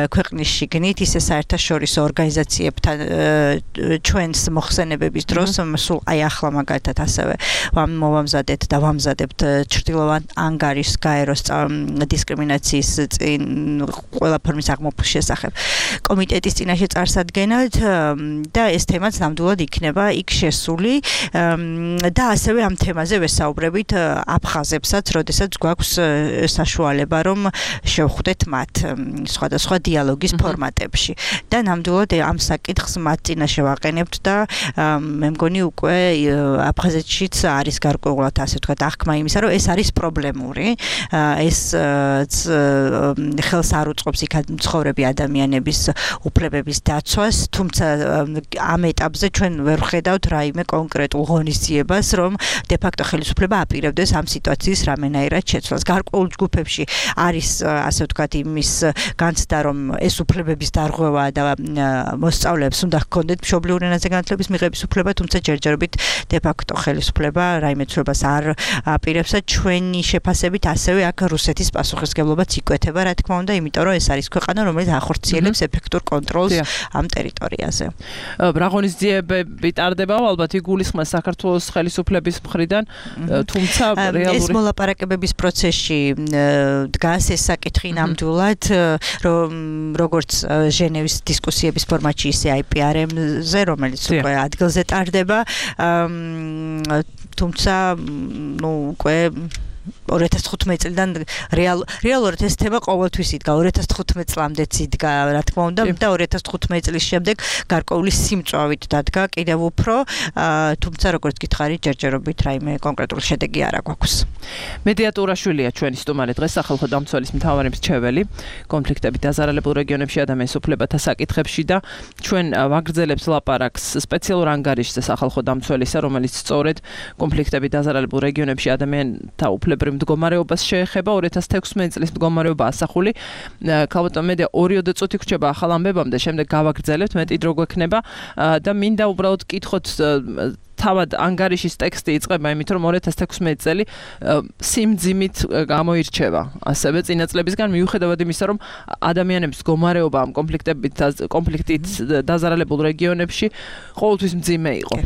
ქვეყნის შიგნით, ისე საერთაშორისო ორგანიზაციებთან ჩვენს მოხსენებების დროს, სულ აი ახლა მაგალითად ასევე მოვამზადეთ და ვამზადებთ ჩრდილოვან ანგარიშს გაეროს დისკრიმინაციის წინ ყველა ფორმის აღმოფხვის შესახებ კომიტეტის წინაშე წარსადგენად და ეს თემაც ნამდვილად იქნება იქ შესული და ასევე ამ თემაზე ვესაუბრებით აფხაზებსაც, როდესაც გვაქვს საშუალება რომ შევხვდეთ მათ სხვადასხვა დიალოგის ფორმატებში და ნამდვილად ამ საკითხს მათ წინაშე ვაყენებთ და მე მგონი უკვე აფხაზეთშიც არის გარკვეულად ასე ვთქვათ აღქმა იმისა, რომ ეს არის პრობლემური, ეს ხელს არ უწყობს იქ მცხოვრები ადამიანების უფლებების დაცვას, თუმცა ამ ეტაპზე ჩვენ ვერ ვხედავთ რაიმე კონკრეტულ ღონისძიებას, რომ de facto ხელისუფლება აპირებდეს ამ სიტუაციის რამენაირად შეცვლას. გარკვეულ ჯგუფებში არის ასე ვთქვათ იმის განცდა, რომ ეს უფლებების დარღვევა და მოსწავლეებს უნდა ჰქონდეთ მშობლიურ ენაზე განათლების მიღების უფლება, თუმცა ჯერჯერობით de facto ხელისუფლება რაიმე ცვლილებას არ აპირებს და ჩვენი შეფასებით ასევე აქ რუსეთის პასუხისმგებლობაც იკვეთება, რა თქმა უნდა, იმიტომ რომ ეს არის ქვეყანა, რომელიც ახორციელებს ეფექტურ კონტროლს ამ ტერიტორიაზე. რა ღონისძიებები ტარდება, ალბათ იგულისხმება საქართველოს ხელისუფლების მხრიდან, თუმცა რეალური ეს მოლაპარაკებების პროცესში დგას ეს საკითხი ნამდვილად, რომ როგორც ჟენევის დისკუსიების ფორმატში, ისე აი პი არ ემ-ზე, რომელიც უკვე ადგილზე ტარდება, თუმცა ნუ უკვე ორი ათას თხუთმეტი წლიდან რეალ რეალურად ეს თემა ყოველთვის იდგა, ორი ათას თხუთმეტი წლამდეც იდგა, რა თქმა უნდა, და ორი ათას თხუთმეტი წლის შემდეგ გარკვეული სიმწვავით დადგა კიდევ უფრო, თუმცა როგორც გითხარით, ჯერჯერობით რაიმე კონკრეტული შედეგი არ აქვს. მედია ტურაშვილია ჩვენი სტუმარი დღეს სახალხო დამცველის მთავარი მრჩეველი კონფლიქტებით დაზარალებულ რეგიონებში ადამიანის უფლებათა საკითხებში და ჩვენ ვაგრძელებთ ლაპარაკს სპეციალურ ანგარიშზე სახალხო დამცველისა, რომელიც სწორედ კონფლიქტებით დაზარალებულ რეგიონებში ადამიანთა უფლებრივ მდგომარეობას შეეხება ორი ათას თექვსმეტი წლის მდგომარეობა ასახული. ქალბატონ მედია ორიოდე წუთი გრჩება ახალ ამბებამდე, შემდეგ გავაგრძელებთ, მეტი დრო გვექნება და მინდა უბრალოდ კითხოთ თავად ანგარიშის ტექსტი იწყება იმით, რომ ორი ათას თექვსმეტი წელი სიმძიმით გამოირჩევა. ასევე წინა წლებისგან მიუხედავად იმისა, რომ ადამიანების მდგომარეობა ამ კონფლიქტებით კონფლიქტით დაზარალებულ რეგიონებში ყოველთვის მძიმე იყო.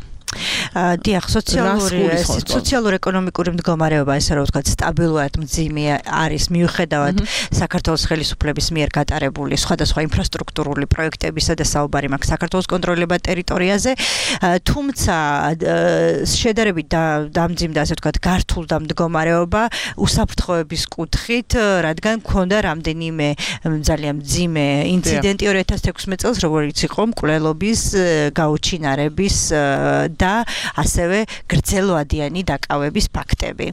დიახ, სოციალური სოციალურ-ეკონომიკური მდგომარეობა, ესე რომ ვთქვათ, სტაბილურად მძიმე არის მიუხედავად საქართველოს ხელისუფლების მიერ გატარებული სხვადასხვა ინფრასტრუქტურული პროექტებისა და საუბარი მაქვს საქართველოს კონტროლებად ტერიტორიაზე, თუმცა შედარებით დამძიმდა, ასე ვთქვათ, გართულდა მდგომარეობა უსაფრთხოების კუთხით, რადგან მქონდა რამდენიმე ძალიან მძიმე ინციდენტი ორი ათას თექვსმეტი წელს, როგორც იყო მკვლელობის, გაუჩინარების და ასევე გრძელვადიანი დაკავების ფაქტები.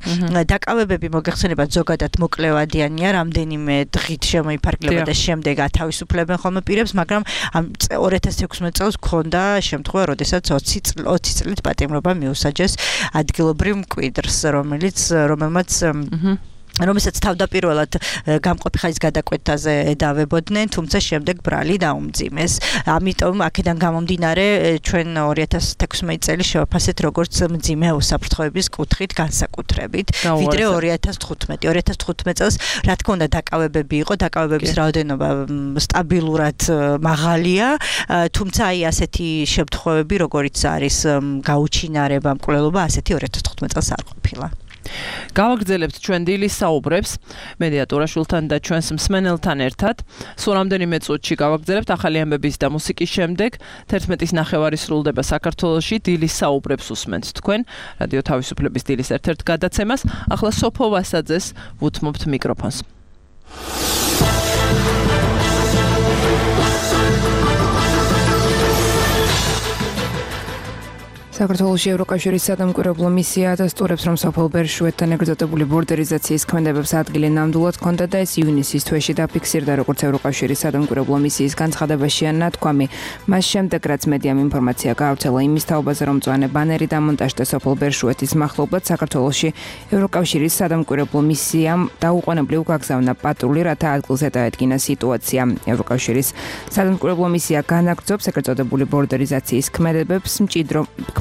დაკავებები მოგეხსენებათ ზოგადად მოკლევადიანია, რამდენიმე დღით შემოიფარგლება და შემდეგ ათავისუფლებენ ხოლმე პირებს, მაგრამ ამ ორი ათას თექვსმეტი წელს ჰქონდა შემთხვევა, როდესაც ოცი წლით პატიმრობა მიუსაჯეს ადგილობრივ მკვიდრს, რომელიც რომელმაც რომელსაც თავდაპირველად გამყოფი ხანის გადაკვეთაზე ედავებოდნენ, თუმცა შემდეგ ბრალი დაუმძიმეს. ამიტომ აქედან გამომდინარე ჩვენ ორი ათას თექვსმეტი წელი შევაფასეთ როგორც მძიმე უსაფრთხოების კუთხით განსაკუთრებით, ვიდრე ორი ათას თხუთმეტი. ორი ათას თხუთმეტი წელს რა თქმა უნდა დაკავებები იყო, დაკავებების რაოდენობა სტაბილურად მაღალია, თუმცა აი ასეთი შემთხვევები, როგორიც არის გაუჩინარება, მკვლელობა, ასეთი ორი ათას თხუთმეტი წელს არ ყოფილა. გავაგრძელებთ ჩვენ დილის საუბრებს მედია ტორაშვილთან და ჩვენს მსმენელთან ერთად. სულ რამდენიმე წუთში გავაგრძელებთ ახალი ამბების და მუსიკის შემდეგ. თერთმეტის ნახევარი სრულდება საქართველოში. დილის საუბრებს უსმენთ თქვენ რადიო თავისუფლების დილის ერთ-ერთ გადაცემას. ახლა სოფო ვასაძეს ვუთმობთ მიკროფონს. საქართველოში ევროკავშირის სადამკვირვებლო მისია ადასტურებს, რომ სოფელ ბერშუეთთან ეგრეზოტებული ბორდერიზაციის ქმედებებს ადგილი ნამდვილად ჰქონდა და ეს ივნისის თვეში დაფიქსირდა, როგორც ევროკავშირის სადამკვირვებლო მისიის განცხადებაშია ნათქვამი. მას შემდეგ, რაც მედიამ ინფორმაცია გაავრცელა იმის თაობაზე, რომ მწვანე ბანერი დამონტაჟდა სოფელ ბერშუეთის მახლობლად, საქართველოში ევროკავშირის სადამკვირვებლო მისიამ დაუყოვნებლივ გაგზავნა პატრული, რათა ადგილზე დაედგინა სიტუაცია. ევროკავშირის სადამკვირვებლო მისია განაგრძობს ეგრეზოტებული ბორდერიზაციის ქმედებებს, მჭიდრო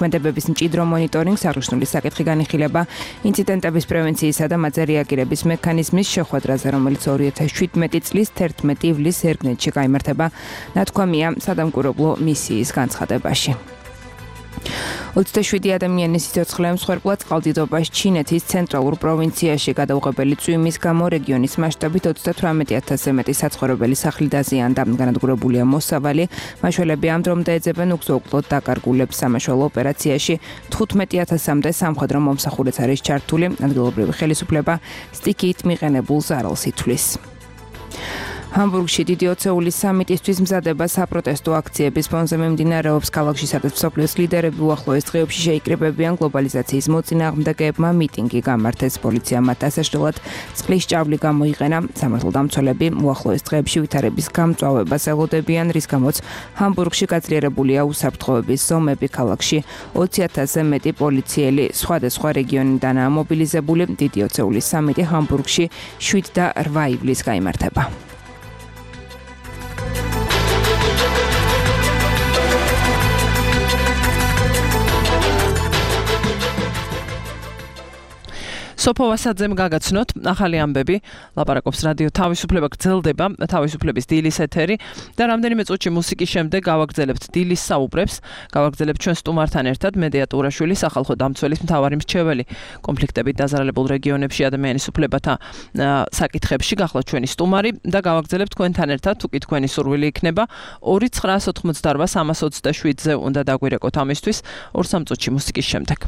ქმედებების მჭიდრო მონიტორინგს, აღნიშნული საკითხი განიხილება ინციდენტების პრევენციისა და მათზე რეაგირების მექანიზმის შეხვედრაზე, რომელიც ორი ათას შვიდმეტი წლის თერთმეტი ივლისს ერგნეთში გაიმართება, ნათქვამია სადამკვირვებლო მისიის განცხადებაში. ოცდაშვიდი ადამიანის სიცოცხლე მსხვერპლად წყალდიდობას ჩინეთის ცენტრალურ პროვინციაში გადაუღებელი წვიმის გამო რეგიონის მასშტაბით ოცდათვრამეტი ათასზე მეტი საცხოვრებელი სახლი დაზიანდა. განადგურებულია მოსავალი, მაშველები ამ დრომდე ეძებენ უგზო-უკვლოდ დაკარგულებს. სამაშველო ოპერაციაში თხუთმეტი ათასამდე სამხედრო მომსახურეც არის ჩართული. ადგილობრივი ხელისუფლება სტიქიით მიყენებულ ზარალს ითვლის. ჰამბურგში დიდი ოცეულის სამიტისთვის მზადება საპროტესტო აქციების ფონზე მიმდინარეობს. ქალაქში სადაც მსოფლიოს ლიდერები უახლოეს დღეებში შეიკრიბებიან გლობალიზაციის მოწინააღმდეგეებმა მიტინგი გამართეს. პოლიციამ მათ ასაშლელად წყლის ჭავლი გამოიყენა. სამართალდამცველები უახლოეს დღეებში ვითარების გამწვავებას ელოდებიან, რის გამოც ჰამბურგში გაძლიერებულია უსაფრთხოების ზომები. ქალაქში ოცი ათასზე მეტი პოლიციელი სხვადასხვა რეგიონიდან მობილიზებული. დიდი ოცეულის სამიტი ჰამბურგში შვიდ და რვა ივლისს გაიმართება. სოფო ვასაძემ გაგაცნოთ ახალი ამბები. ლაპარაკობს რადიო თავისუფლება, გრძელდება თავისუფლების დილის ეთერი და რამდენიმე წუთში მუსიკის შემდეგ გავაგრძელებთ დილის საუბრებს. გავაგრძელებთ ჩვენ სტუმართან ერთად მედია ტურაშვილი, სახალხო დამცველის მთავარი მრჩეველი კონფლიქტებით დაზარალებულ რეგიონებში ადამიანის უფლებათა საკითხებში გახლავთ ჩვენი სტუმარი და გავაგრძელებთ თქვენთან ერთად, თუ კი თქვენი სურვილი იქნება ორი ცხრა ოცდაოთხმოცდარვა სამას ოცდაშვიდზე უნდა დაგვირეკოთ ამისთვის ორ სამ წუთში მუსიკის შემდეგ.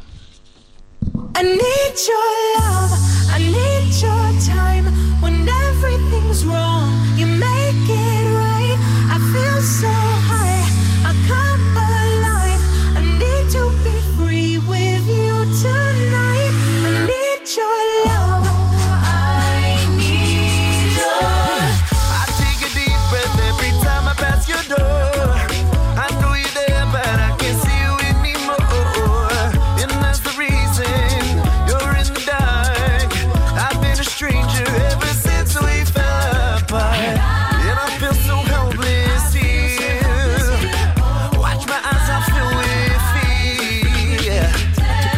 I need your love, I need your time. When everything's wrong, you make it right. I feel so high, I come alive. I need to be free with you tonight. I need your love, I need your. I take a deep breath every time I pass your door. I know you're there, but I can't see you anymore. And that's the reason you're in the dark. I've been a stranger ever since we fell apart. And I feel so helpless here. Watch my eyes, I feel with fear.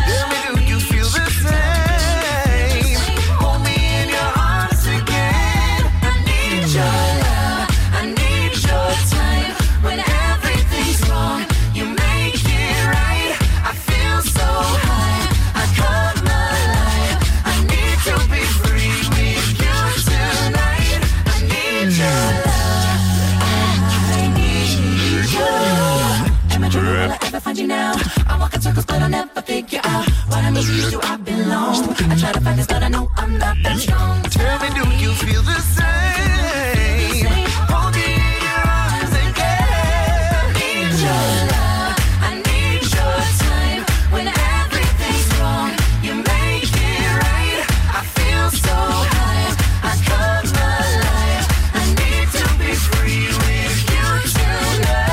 Tell me, do you feel the same? Hold me in your arms again. I need your love, I need your time. When everything's wrong, you make it right. I feel so high, I come alive. I need to be free with you tonight. I need your love, I need you. Am I dreaming? Will I ever find you now? I walk in circles, but I'll never figure out what I miss you, I belong. I try to find this, but I know I'm not that strong. Tell me, do you feel the same? Hold me in your arms again. I need your love, I need your time. When everything's wrong, you make it right. I feel so high, I come alive. I need to be free with you tonight.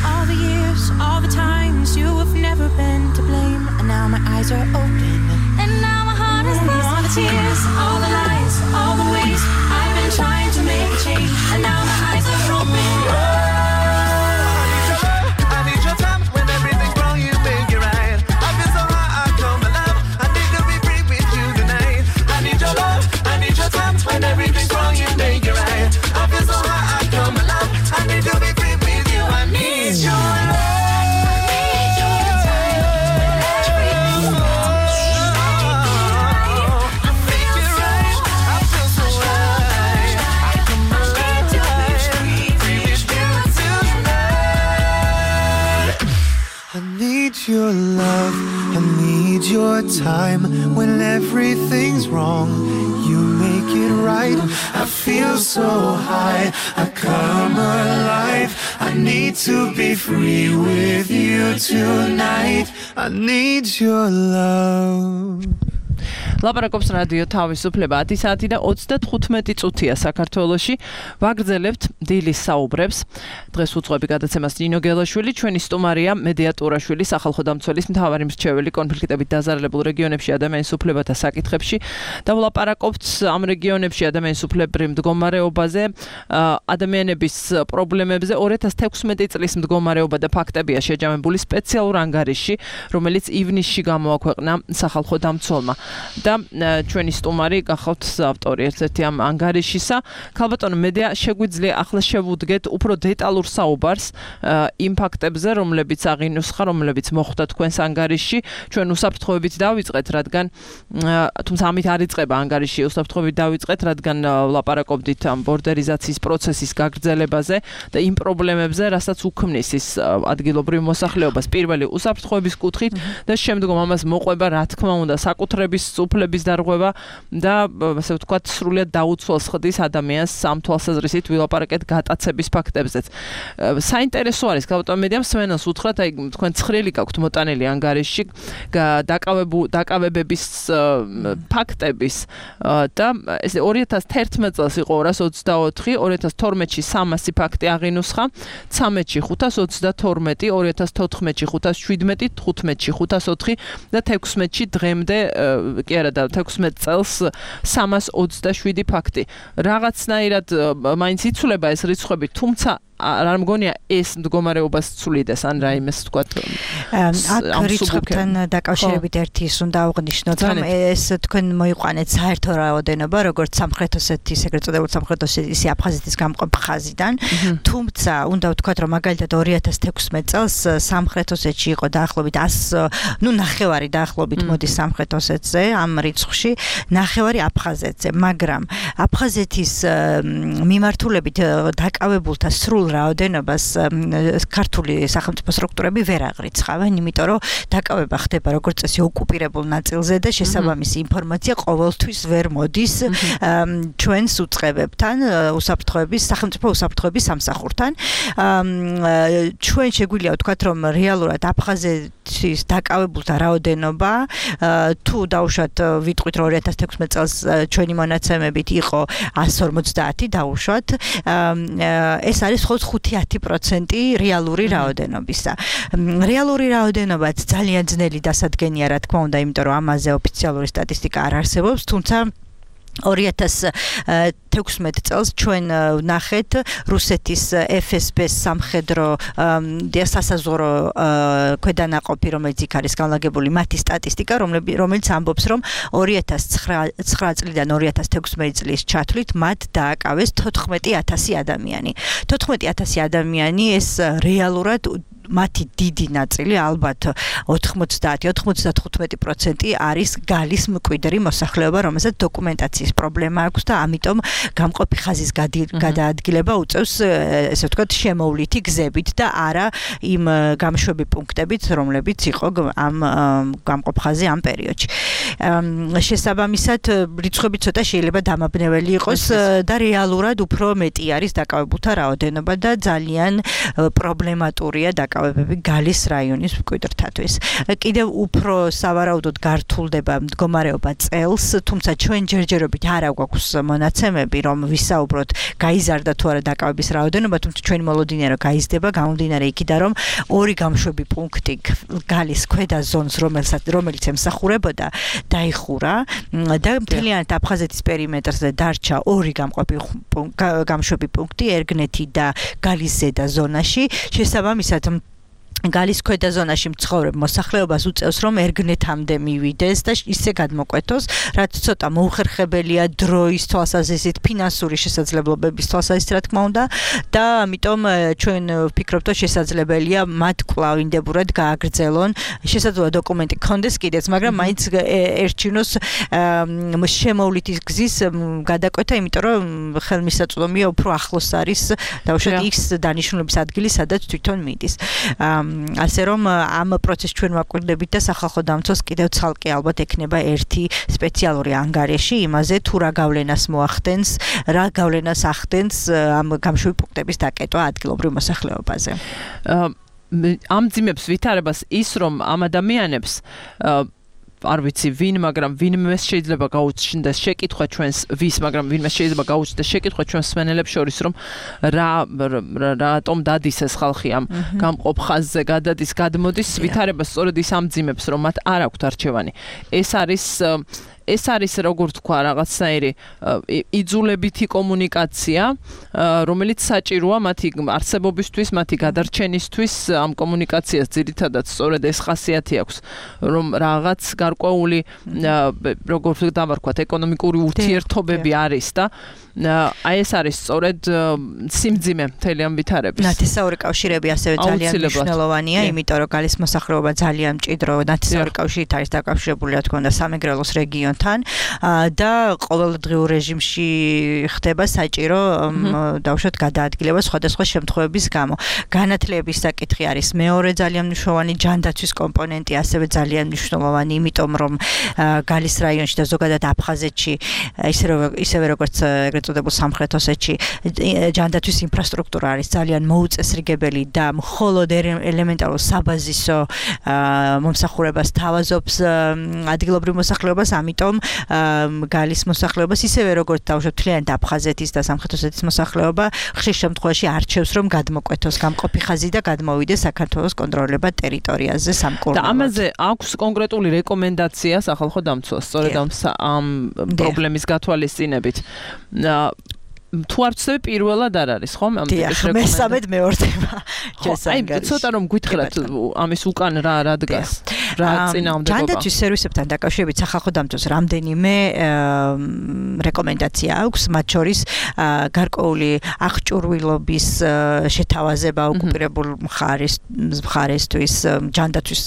All the years, all the times you have never been to blame, and now my eyes are open, And now my heart is lost. all the tears love, I need your time. When everything's wrong, you make it right. I feel so high, I come alive. I need to be free with you tonight. I need your love. ლაპარაკობს რადიო თავისუფლება ათი საათი და ოცდათხუთმეტი წუთია საქართველოში. ვაგრძელებთ დილის საუბრებს. დღეს უძღვები გადაცემას ნინო გელაშვილი, ჩვენი სტუმარია მედიატურაშვილი, სახალხო დამცველის მთავარი მრჩეველი კონფლიქტებით დაზარალებულ რეგიონებში ადამიანის უფლებათა საკითხებში და ვლაპარაკობთ ამ რეგიონებში ადამიანის უფლებრივ მდგომარეობაზე, ადამიანების პრობლემებზე. ორი ათას თექვსმეტი წლის მდგომარეობა და ფაქტებია შეჯამებული სპეციალურ ანგარიშში, რომელიც ივნისში გამოაქვეყნა სახალხო დამცველმა. და ჩვენი სტუმარი გახავთ ავტორი ერთ-ერთი ამ ანგარიშისა. ქალბატონო მედია შეგვიძლია ახლა შევუდგეთ უფრო დეტალურ საუბარს იმ ფაქტებზე, რომლებიც აღინუსხა, რომლებიც მოხვდა თქვენს ანგარიშში. ჩვენ უსაფრთხოებით დავიწყეთ, რადგან თუმცა ამით არ იწყება ანგარიში, უსაფრთხოებით დავიწყეთ, რადგან ვლაპარაკობდით ამ ბორდერიზაციის პროცესის გაგრძელებაზე და იმ პრობლემებზე, რასაც უქმნის ის ადგილობრივ მოსახლეობას. პირველი უსაფრთხოების კუთხით და შემდგომ ამას მოყვება, რა თქმა უნდა, საკუთრების უფლების დარღვევა და ასე ვთქვათ, სრულიად დაუცველს ხდის ადამიანს ამ თვალსაზრისით ვილაპარაკეთ გატაცების ფაქტებზეც. საინტერესო არის, ქალბატონ მედიამ სვენელს უთხრათ, აი თქვენ ცხრილი გაქვთ მოტანილი ანგარიშში დაკავებების ფაქტების და ეს ორი ათას თერთმეტ წელს იყო ორას ოცდაოთხი, ორი ათას თორმეტში სამასი ფაქტი აღინუსხა, ცამეტში ხუთას ოცდათორმეტი, ორი ათას თოთხმეტში ხუთას შვიდმეტი, თხუთმეტში ხუთას ოთხი და თექვსმეტში დღემდე კი არა და თექვსმეტ წელს სამას ოცდაშვიდი ფაქტი. რაღაცნაირად მაინც იცვლება ეს რიცხვები, თუმცა არ მგონია ეს მდგომარეობას ცვლიდეს ან რაიმეს თქვათ ამ რიცხვებთან დაკავშირებით ერთი ის უნდა აღვნიშნოთ, რომ ეს თქვენ მოიყვანეთ საერთო რაოდენობა, როგორც სამხრეთ ოსეთის, ეგრეთ წოდებულ სამხრეთ ოსეთის აფხაზეთის გამყოფ ხაზიდან, თუმცა უნდა ვთქვათ, რომ მაგალითად ორი ათას თექვსმეტ წელს სამხრეთ ოსეთში იყო დაახლოებით ას, ნუ ნახევარი დაახლოებით მოდის სამხრეთ ოსეთზე ამ რიცხვში, ნახევარი აფხაზეთზე, მაგრამ აფხაზეთის მიმართულებით დაკავებულთა სრულ რაოდენობას ქართული სახელმწიფო სტრუქტურები ვერ აღრიცხავენ, იმიტომ რომ დაკავება ხდება როგორც წესი ოკუპირებულ ნაწილზე და შესაბამისი ინფორმაცია ყოველთვის ვერ მოდის ჩვენს უწყებებთან, უსაფრთხოების, სახელმწიფო უსაფრთხოების სამსახურთან. ჩვენ შეგვიძლია ვთქვათ, რომ რეალურად აფხაზეთის დაკავებულთა რაოდენობა თუ დავუშვათ ვიტყვით ორი ათას თექვსმეტ წელს ჩვენი მონაცემებით იყო ას ორმოცდაათი დავუშვათ, ეს არის ხუთი ათი პროცენტი რეალური რაოდენობისა. რეალური რაოდენობაც ძალიან ძნელი დასადგენია, რა თქმა უნდა, იმიტომ რომ ამაზე ოფიციალური სტატისტიკა არ არსებობს, თუმცა ორი ათას თექვსმეტ წელს ჩვენ ვნახეთ რუსეთის ეფ ეს ბე-ს სამხედრო სასაზღვრო ქვედანაყოფი, რომელიც იქ არის განლაგებული, მათი სტატისტიკა, რომელიც ამბობს, რომ ორი ათას ცხრა წლიდან ორი ათას თექვსმეტი წლის ჩათვლით მათ დააკავეს თოთხმეტი ათასი ადამიანი. თოთხმეტი ათასი ადამიანი ეს რეალურად მათი დიდი ნაწილი, ალბათ ოთხმოცდაათი ოცდათხუთმეტი პროცენტი არის გალის მკვიდრი მოსახლეობა, რომელსაც დოკუმენტაციის პრობლემა აქვს და ამიტომ გამყოფი ხაზის გადაადგილება უწევს, ესე ვთქვათ, შემოვლითი გზებით და არა იმ გამშვები პუნქტებით, რომლებიც იყო ამ გამყოფ ხაზი ამ პერიოდში. შესაბამისად, რიცხვები ცოტა შეიძლება დამაბნეველი იყოს და რეალურად უფრო მეტი არის დაკავებულთა რაოდენობა და ძალიან პრობლემატურია დაკავებები გალის რაიონის მკვიდრთათვის. კიდევ უფრო სავარაუდოდ გართულდება მდგომარეობა წელს, თუმცა ჩვენ ჯერჯერობით არ აქვს მონაცემები, რომ ვისაუბროთ გაიზარდა თუ არა დაკავების რაოდენობა, თუმცა ჩვენი მოლოდინია რომ გაიზრდება, გამომდინარე იქიდან, რომ ორი გამშვები პუნქტი გალის ქვედა ზონს, რომელიც ემსახურებოდა, დაიხურა და მთლიანად აფხაზეთის პერიმეტრზე დარჩა ორი გამშვები პუნქტი, ერგნეთი და გალის ზედა ზონაში. შესაბამისად გალის ქვედა ზონაში მცხოვრებ მოსახლეობას უწევს, რომ ერგნეთამდე მივიდეს და ისე გადმოკვეთოს, რაც ცოტა მოუხერხებელია დროის თვალსაზრისით, ფინანსური შესაძლებლობების თვალსაზრისით, რა თქმა უნდა, და ამიტომ ჩვენ ვფიქრობთ, რომ შესაძლებელია მათ კვლავ ინდებურად გააგრძელონ, შესაძლოა დოკუმენტი გქონდეს კიდეც, მაგრამ მაინც ერჩინოს შემოვლითი გზის გადაკვეთა, იმიტომ რომ ხელმისაწვდომია უფრო ახლოს არის, დაუშვათ იქს დანიშნულების ადგილი, სადაც თვითონ მიდის. ასე რომ ამ პროცესს ჩვენ ვაკვირდებით და სახალხო დამცველს კიდევ ცალკე ალბათ ექნება ერთი სპეციალური ანგარიში იმაზე თუ რა გავლენას მოახდენს, რა გავლენას ახდენს ამ გამშვები პუნქტების დაკეტვა ადგილობრივ მოსახლეობაზე. ამძიმებს ვითარებას ის რომ ამ ადამიანებს არ ვიცი ვინ, მაგრამ ვინმე შეიძლება გაუჩნდეს შეკითხვა ჩვენს ვის, მაგრამ ვინმე შეიძლება გაუჩნდეს შეკითხვა ჩვენს სვენელებს შორის, რომ რა რატომ დადის ეს ხალხი ამ გამყოფ ხაზზე გადადის, გადმოდის, ვითარებას სწორედ ის ამძიმებს, რომ მათ არ აქვთ არჩევანი. ეს არის ეს არის როგორ თქვა რაღაცნაირი იძულებითი კომუნიკაცია, რომელიც საჭიროა მათი არსებობისთვის, მათი გადარჩენისთვის. ამ კომუნიკაციას ძირითადად სწორედ ეს ხასიათი აქვს, რომ რაღაც გარკვეული როგორ დავარქვათ ეკონომიკური ურთიერთობები არის და აი ეს არის სწორედ სიმძიმე მთელი ამ ვითარების. ნათესაური კავშირები ასევე ძალიან მნიშვნელოვანია, იმიტომ რომ გალის მოსახლეობა ძალიან მჭიდრო ნათესაური კავშირით არის დაკავშირებული, რა თქმა უნდა, სამეგრელოს რეგიონთან და ყოველდღიურ რეჟიმში ხდება საჭირო დავუშვათ გადაადგილება სხვადასხვა შემთხვევების გამო. განათლების საკითხი არის მეორე ძალიან მნიშვნელოვანი, ჯანდაცვის კომპონენტი ასევე ძალიან მნიშვნელოვანი, იმიტომ რომ გალის რაიონში და ზოგადად აფხაზეთში ისევე როგორც წოდებულ სამხრეთ ოსეთში ჯანდაცვის ინფრასტრუქტურა არის ძალიან მოუწესრიგებელი და მხოლოდ ელემენტარულ საბაზისო მომსახურებას თავაზობს ადგილობრივ მოსახლეობას, ამიტომ გალის მოსახლეობას ისევე როგორც დავუშვათ მთლიანად აფხაზეთის და სამხრეთ ოსეთის მოსახლეობა ხშირ შემთხვევაში არჩევს რომ გადმოკვეთოს გამყოფი ხაზი და გადმოვიდეს საქართველოს კონტროლებად ტერიტორიაზე სამკურნალოდ. და ამაზე აქვს კონკრეტული რეკომენდაცია სახალხო დამცველს სწორედ ამ პრობლემის გათვალისწინებით. თუ არ ვცდები პირველად არ არის ხო ამ ტიპის რეკომენდაცია. მესამედ მეორდება. აი ცოტა რომ გითხრათ ამის უკან რა რა დგას. რა წინააღმდეგობა. ჯანდაცვის სერვისებთან დაკავშირებით სახალხო დამცველს რამდენიმე რეკომენდაცია აქვს, მათ შორის გარკვეული აღჭურვილობის შეთავაზება ოკუპირებულ მხარის მხარესთვის, ჯანდაცვის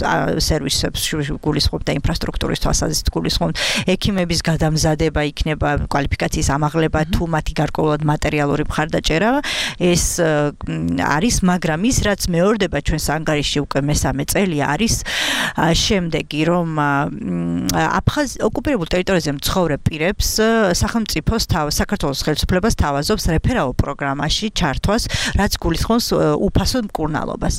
სერვისებს გულისხმობ და ინფრასტრუქტურის თვალსაზრისით გულისხმობ, ექიმების გადამზადება იქნება, კვალიფიკაციის ამაღლება თუ მათი გარკვეული მატერიალური მხარდაჭერა ეს არის, მაგრამ ის რაც მეორდება ჩვენს ანგარიში უკვე მესამე წელი არის შემდეგი, რომ აფხაზ ოკუპირებულ ტერიტორიაზე მცხოვრებ პირებს სახელმწიფოს საქართველოს ხელისუფლებას თავაზობს რეფერაულ პროგრამაში ჩართვას, რაც გულისხმობს უფასო მკურნალობას.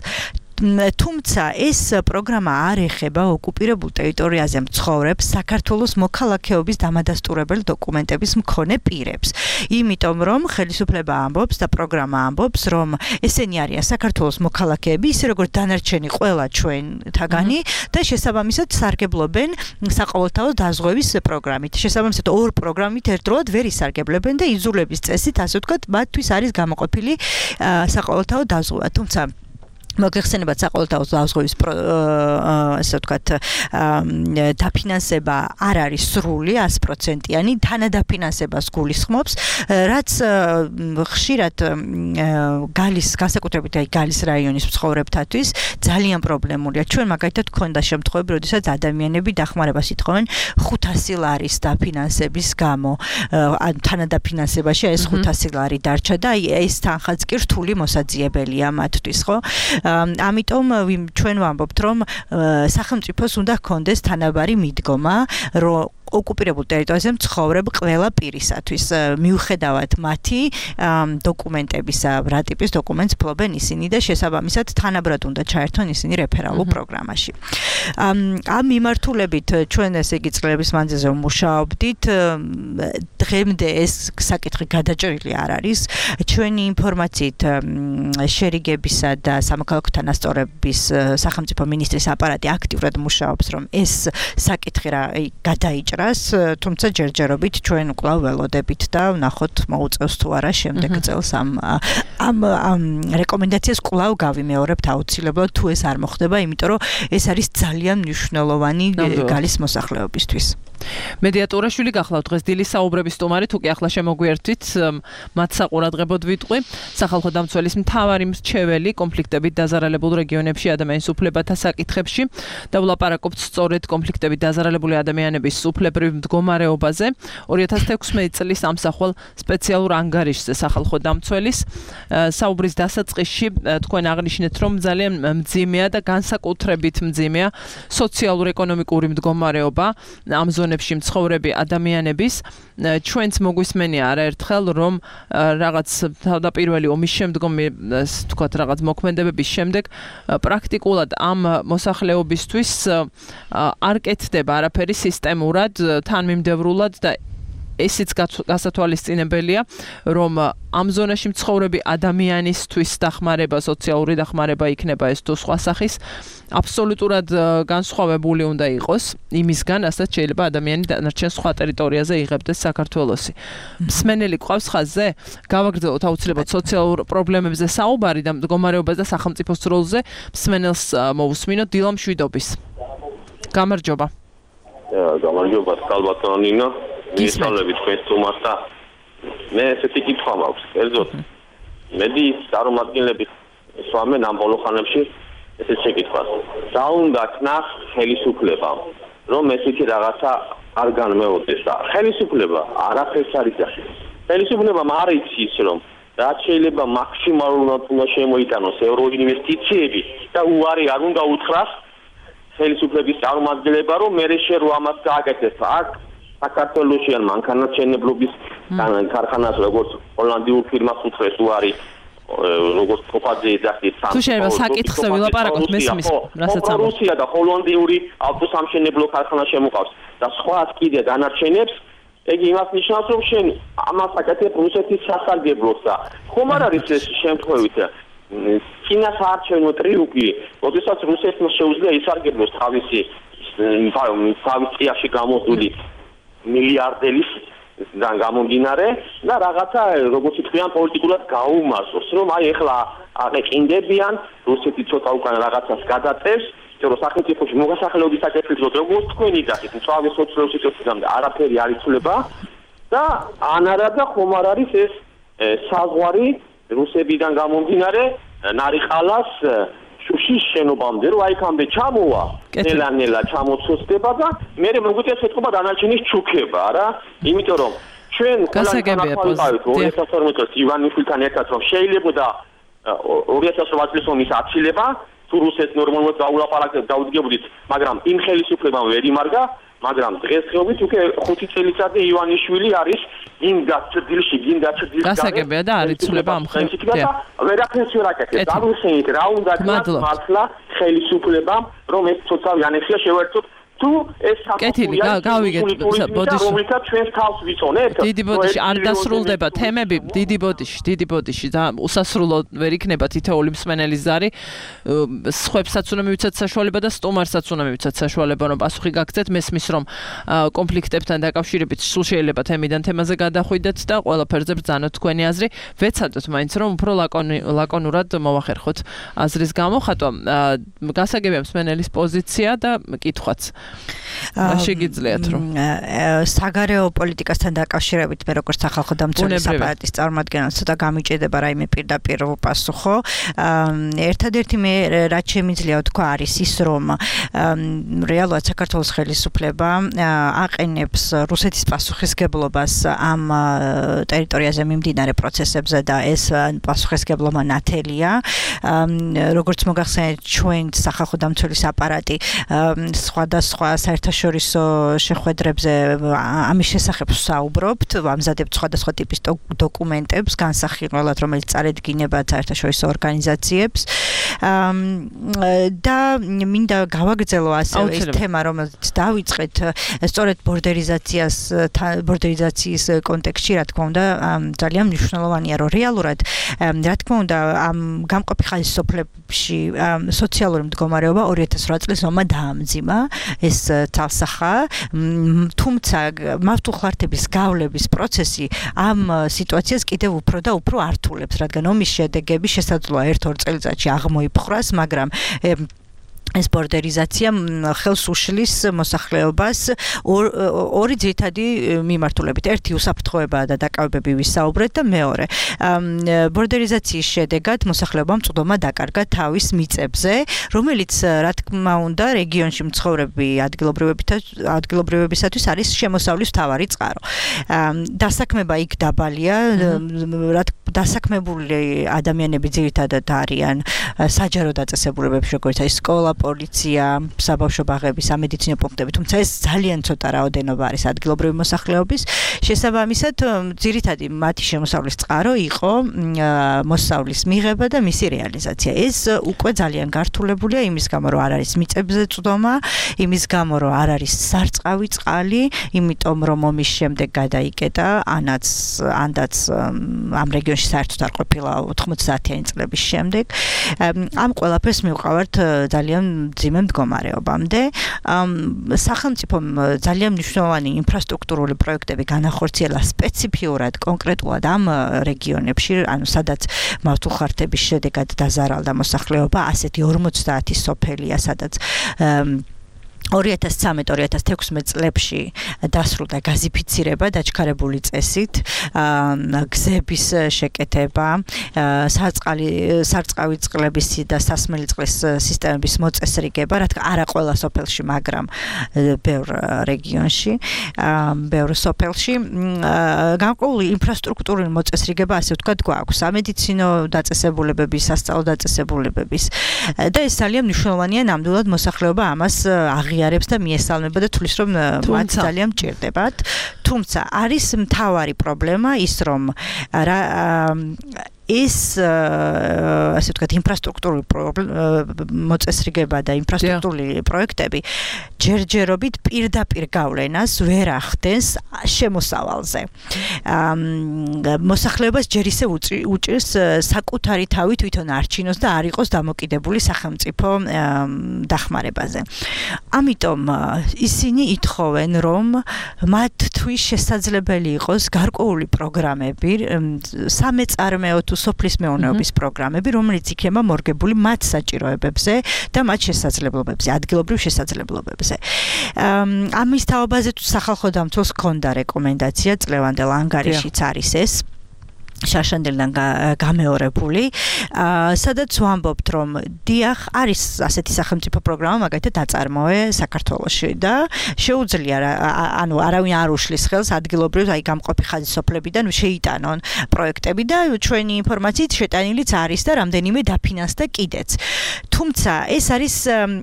თუმცა ეს პროგრამა არ ეხება ოკუპირებულ ტერიტორიაზე მცხოვრებ საქართველოს მოქალაქეობის დამადასტურებელი დოკუმენტების მქონე პირებს. იმიტომ რომ ხელისუფლება ამბობს და პროგრამა ამბობს, რომ ესენი არიან საქართველოს მოქალაქეები, ისე როგორც დანარჩენი ყველა ჩვენთაგანი და შესაბამისად სარგებლობენ საყოველთაო დაზღვევის პროგრამით. შესაბამისად ორ პროგრამით ერთდროულად ვერ ისარგებლებენ და იძულების წესით, ასე ვთქვათ, მათთვის არის გამოყოფილი საყოველთაო დაზღვევა. თუმცა მოგეხსენებათ საყოველთაო დაზღვევის ასე ვთქვათ დაფინანსება არ არის სრული ას პროცენტიანი, თანადაფინანსებას გულისხმობს, რაც ხშირად გალის განსაკუთრებით აი გალის რაიონის მცხოვრებთათვის ძალიან პრობლემურია. ჩვენ მაგალითად გქონდა შემთხვევები, როდესაც ადამიანები დახმარებას ითხოვენ ხუთასი ლარის დაფინანსების გამო, ან თანადაფინანსებაში ეს ხუთასი ლარი დარჩა და აი ეს თანხაც კი რთული მოსაძიებელია მათთვის, ხო? ამიტომ ჩვენ ვამბობთ, რომ სახელმწიფოს უნდა ჰქონდეს თანაბარი მიდგომა, რომ ოკუპირებულ ტერიტორიაზე მცხოვრებ ყველა პირისათვის, მიუხედავად მათი დოკუმენტებისა, რა ტიპის დოკუმენტს ფლობენ ისინი და შესაბამისად თანაბრად უნდა ჩაერთონ ისინი რეფერალურ პროგრამაში. ამ მიმართულებით ჩვენ ესე იგი წლების მანძილზე ვმუშაობდით, დღემდე ეს საკითხი გადაჭრილი არ არის. ჩვენი ინფორმაციით შერიგებისა და სამოქალაქო თანასწორების სახელმწიფო მინისტრის აპარატი აქტიურად მუშაობს, რომ ეს საკითხი რა გადაიჭრა, თუმცა ჯერჯერობით ჩვენ კვლავ ველოდებით და ვნახოთ მოუწევს თუ არა შემდეგ წელს ამ ამ რეკომენდაციას კვლავ გავიმეორებთ აუცილებლად თუ ეს არ მოხდება, იმიტომ რომ ეს არის ძალიან მნიშვნელოვანი გალის მოსახლეობისთვის. მედიატორაშვილი გახლავთ დღეს დილის საუბრების სტუმარი, თუ კი ახლა შემოგვიერთვით, მათ საყურადღებოდ ვიტყვი. სახალხო დამცველის მთავარი მრჩეველი კონფლიქტებით დაზარალებულ რეგიონებში ადამიანის უფლებათა საკითხებში და ვლაპარაკობთ სწორედ კონფლიქტებით დაზარალებული ადამიანების უფლებებზე ჩვეულებრივ მდგომარეობაზე ორი ათას თექვსმეტი წლის ამსახველ სპეციალურ ანგარიშზე სახალხო დამცველის საუბრის დასაწყისში თქვენ აღნიშნეთ, რომ ძალიან მძიმეა და განსაკუთრებით მძიმეა სოციალურ-ეკონომიკური მდგომარეობა ამ ზონებში მცხოვრები ადამიანების. ჩვენც მოგვისმენია არაერთხელ, რომ რაღაც თავდაპირველი ომის შემდგომი თქვათ რაღაც მოქმედებების შემდეგ პრაქტიკულად ამ მოსახლეობისთვის არ კეთდება არაფერი სისტემურად, თანმიმდევრულად და ესეც გასათვალისწინებელია, რომ ამ ზონაში მცხოვრები ადამიანისთვის დახმარება, სოციალური დახმარება იქნება ეს თუ სხვა სახის, აბსოლუტურად განსხვავებული უნდა იყოს იმისგან, რასაც შეიძლება ადამიანი დანარჩენ სხვა ტერიტორიაზე იღებდეს საქართველოსი. მსმენელი ყავს ხაზზე? გავაგრძელოთ აუცილებლად სოციალურ პრობლემებზე საუბარი და მდგომარეობაზე და სახელმწიფოს როლზე. მსმენელს მოვუსმინოთ დილა მშვიდობის. გამარჯობა. გამარჯობა, კალბატონო ნინო. მისალები თქვენ თუმას და მე ესეთი კითხვა მაქვს. კერძოდ, მედი წარმომადგენლები სვამენ ამ ბოლო ხანებში ესეთ შეკითხვას. რა უნდა ქნას ხელისუფლებამ, რომ ესეთი რაღაცა არ განმეორდეს და ხელისუფლება არაფერს არ იცის. ხელისუფლებამ არ იცის, რომ რაც შეიძლება მაქსიმალურად უნდა შემოიტანოს ევროინვესტიციები და უარი არ უნდა უთხრას ხელისუფლების წარმომადგენლება, რომ მე შე რო ამას გააკეთებს. აქ საქართველოში ან მანქანათმშენებლობის ქარხანას როგორც ჰოლანდიურ ფირმას უთხრეს უარი, როგორც კოპაძე ეძახის სამ. თუ შეიძლება საკითხზე ვილაპარაკოთ მესმის, რასაც ამბობ. რუსია და ჰოლანდიური ავტოსამშენებლო ქარხანა შემოყავს და სხვაც კიდე დანარჩენებს. ეგ იმას ნიშნავს, რომ შენ ამას აკეთებ რუსეთის სასარგებლოს და ხომ არ არის ეს შემთხვევით ჩინას არჩევნო ტრიუმფი, როდესაც რუსეთს შეუძლია ისარგებლოს თავისი თავის წიაში გამოდული მილიარდელის და გამომდინარე და რაღაცა როგორც თქვენ პოლიტიკურად გაუმარჯოს, რომ აი ეხლა აყენდებიან რუსეთი ცოტა უკან რაღაცას გადაწევს, რომ სახელმწიფოში მოგასახელების საკითხებზე როგორც თქვენი დახით, თავის სოციალურ სიტუაციამდე არაფერი არ იცვლება და ან არა და ხომ არ არის ეს საზღვარი რუსებიდან გამომდინარე ნარიყალას შუშის შენობამდე, რომ აიქამდე ჩამოვა, ნელა-ნელა ჩამოცოსდება და მე მოგვიწევს ეთქობა დანარჩენის ჩუქება, რა, იმიტომ რომ ჩვენ გასაგებია ორი ათას ორმოცი წელს ივანიშვილთან ერთად რომ შეიძლებოდა ორი ათას ორმოცი წლის ომის აცილება, თუ რუსეთს ნორმალურად დაულაპარაკეთ, დაუდგებოდით, მაგრამ იმ ხელისუფლებამ ვერ იმარგა, მაგრამ დღესდღეობით უკვე ხუთი წელიწადი ივანიშვილი არის გინდა ჭრდილში, გინდა ჭრდილში. გასაგებია და არ იცვლება ამ ხელისუფლებამ. ვერაფერს ვერ აკეთებს. აღნიშნეთ რა უნდა გქონდეს მართლა ხელისუფლებამ, რომ ეს ცოტა ანექსია შევერთოთ თუ ეს კეთილი გავიგეთ ბოდიში რომელთა ჩვენს თავს ვიცონეთ დიდი ბოდიში არ დასრულდება თემები დიდი ბოდიში დიდი ბოდიში და უსასრულო ვერ იქნება თითოეული მსმენელის ზარი სხვებსაც უნდა მივიცათ საშუალება და სტუმარსაც უნდა მივიცათ საშუალება რომ პასუხი გაგცეთ მესმის რომ კონფლიქტებთან დაკავშირებით სულ შეიძლება თემიდან თემაზე გადახვიდეთ და ყველაფერზე ბრძანოთ თქვენი აზრი ვეცადოთ მაინც რომ უფრო ლაკონურად მოვახერხოთ აზრის გამოხატვა გასაგებია მსმენელის პოზიცია და კითხვაც შეგიძლიათ რომ საგარეო პოლიტიკასთან დაკავშირებით მე როგორც სახალხო დამცველის აპარატის წარმომადგენელი ცოტა გამიჭედება რაიმე პირდაპირ პასუხო ერთადერთი მე რაც შემიძლია თქვა არის ის რომ რეალურად საქართველოს ხელისუფლება აყენებს რუსეთის პასუხისგებლობას ამ ტერიტორიაზე მიმდინარე პროცესებზე და ეს პასუხისგებლობა ნათელია როგორც მოგახსენეთ ჩვენ სახალხო დამცველის აპარატი სხვადასხვა საერთაშორისო შეხვედრებზე ამის შესახებ საუბრობთ, ამზადებთ სხვადასხვა ტიპის დოკუმენტებს, განსახილველად, რომელიც წარედგინება საერთაშორისო ორგანიზაციებს. და მინდა გავაგრძელო ასევე ეს თემა, რომელიც დავიწყეთ სწორედ ბორდერიზაციას ბორდერიზაციის კონტექსტში, რა თქმა უნდა, ძალიან მნიშვნელოვანია, რომ რეალურად, რა თქმა უნდა, ამ გამყოფი ხალის სოფლებში სოციალური მდგომარეობა ორი ათას რვა წლის ომმა დაამძიმა. ეს თალსახა, თუმცა მართლმხლართების გავლების პროცესი ამ სიტუაციას კიდევ უფრო და უფრო ართულებს, რადგან ომის შედეგები შესაძლოა ერთ-ორ წელიწადში აღმოიფხვრას, მაგრამ ეს ბორდერიზაცია ხელს უშლის მოსახლეობას ორი ძირითადი მიმართულებით. ერთი უსაფრთხოებაა და დაკავებები ვისაუბრეთ და მეორე ბორდერიზაციის შედეგად მოსახლეობამ წვდომა დაკარგა თავის მიწებზე, რომელიც რა თქმა უნდა რეგიონში მცხოვრები ადგილობრივებისათვის არის შემოსავლის მთავარი წყარო. დასაქმება იქ დაბალია, დასაქმებული ადამიანები ძირითადად არიან საჯარო დაწესებულებებში, როგორც აი სკოლა, პოლიცია, საბავშვო ბაღები, სამედიცინო პუნქტები, თუმცა ეს ძალიან ცოტა რაოდენობა არის ადგილობრივი მოსახლეობის. შესაბამისად, ძირითადი მათი შემოსავლის წყარო იყო მოსავლის მიღება და მისი რეალიზაცია. ეს უკვე ძალიან გართულებულია იმის გამო, რომ არ არის მიწებზე წვდომა, იმის გამო, რომ არ არის სარწყავი წყალი, იმიტომ რომ ომის შემდეგ გადაიკეტა, ანაც ანდაც ამ რეგიონში საერთოდ არ ყოფილა ოთხმოცდაათიანი წლების შემდეგ. ამ ყველაფერს მივყავართ ძალიან მძიმე მდგომარეობამდე. სახელმწიფომ ძალიან მნიშვნელოვანი ინფრასტრუქტურული პროექტები განახორციელა სპეციფიურად კონკრეტულად ამ რეგიონებში, ანუ სადაც მართლხარდების შედეგად დაზარალდა მოსახლეობა, ასეთი ორმოცდაათი სოფელია, სადაც ორი ათას ცხრამეტ ორი ათას თექვსმეტ წლებში დასრულდა გაზიფიცირება დაჩქარებული წესით, გზების შეკეთება, სარწყავი სარწყავი წყლების და სასმელი წყლის სისტემების მოწესრიგება, რა თქმა არა ყველა სოფელში, მაგრამ ბევრ რეგიონში, ბევრ სოფელში განკოლი ინფრასტრუქტურული მოწესრიგება, ასე ვთქვათ, გვაქვს სამედიცინო დაწესებულებების, სასწავლო დაწესებულებების და ეს ძალიან მნიშვნელოვანია, ნამდვილად მოსახლეობა ამას აღიარებს და მიესალმება და თulis რომ მათ ძალიან მჭირდებათ. თუმცა არის მთავარი პრობლემა ის რომ ეს ასე ვთქვათ ინფრასტრუქტურული მოწესრიგება და ინფრასტრუქტურული პროექტები ჯერჯერობით პირდაპირ გავლენას ვერ ახდენს შემოსავალზე. მოსახლეობას ჯერ ისე უჭირს საკუთარი თავი თვითონ არჩინოს და არ იყოს დამოკიდებული სახელმწიფო დახმარებაზე. ამიტომ ისინი ითხოვენ რომ მათთვის შესაძლებელი იყოს გარკვეული პროგრამები, სამეწარმეო თუ სოფლის მეურნეობის პროგრამები, რომელიც იქნება მორგებული მათ საჭიროებებზე და მათ შესაძლებლობებზე, ადგილობრივ შესაძლებლობებზე. ამის თაობაზე თუ სახალხო დამცველს ჰქონდა რეკომენდაცია, წლევანდელ ანგარიშიც არის ეს. შაშანდელიდან გამეორებული, სადაც ვამბობთ, რომ დიახ, არის ასეთი სახელმწიფო პროგრამა, მაგალითად აწარმოე საქართველოში და შეუძლია, ანუ არავინ არ უშლის ხელს ადგილობრივ, აი გამყოფი ხაზისოფლებიდან შეიტანონ პროექტები და ჩვენი ინფორმაციით შეტანილიც არის და რამდენიმე დაფინანსდა კიდეც. თუმცა ეს არის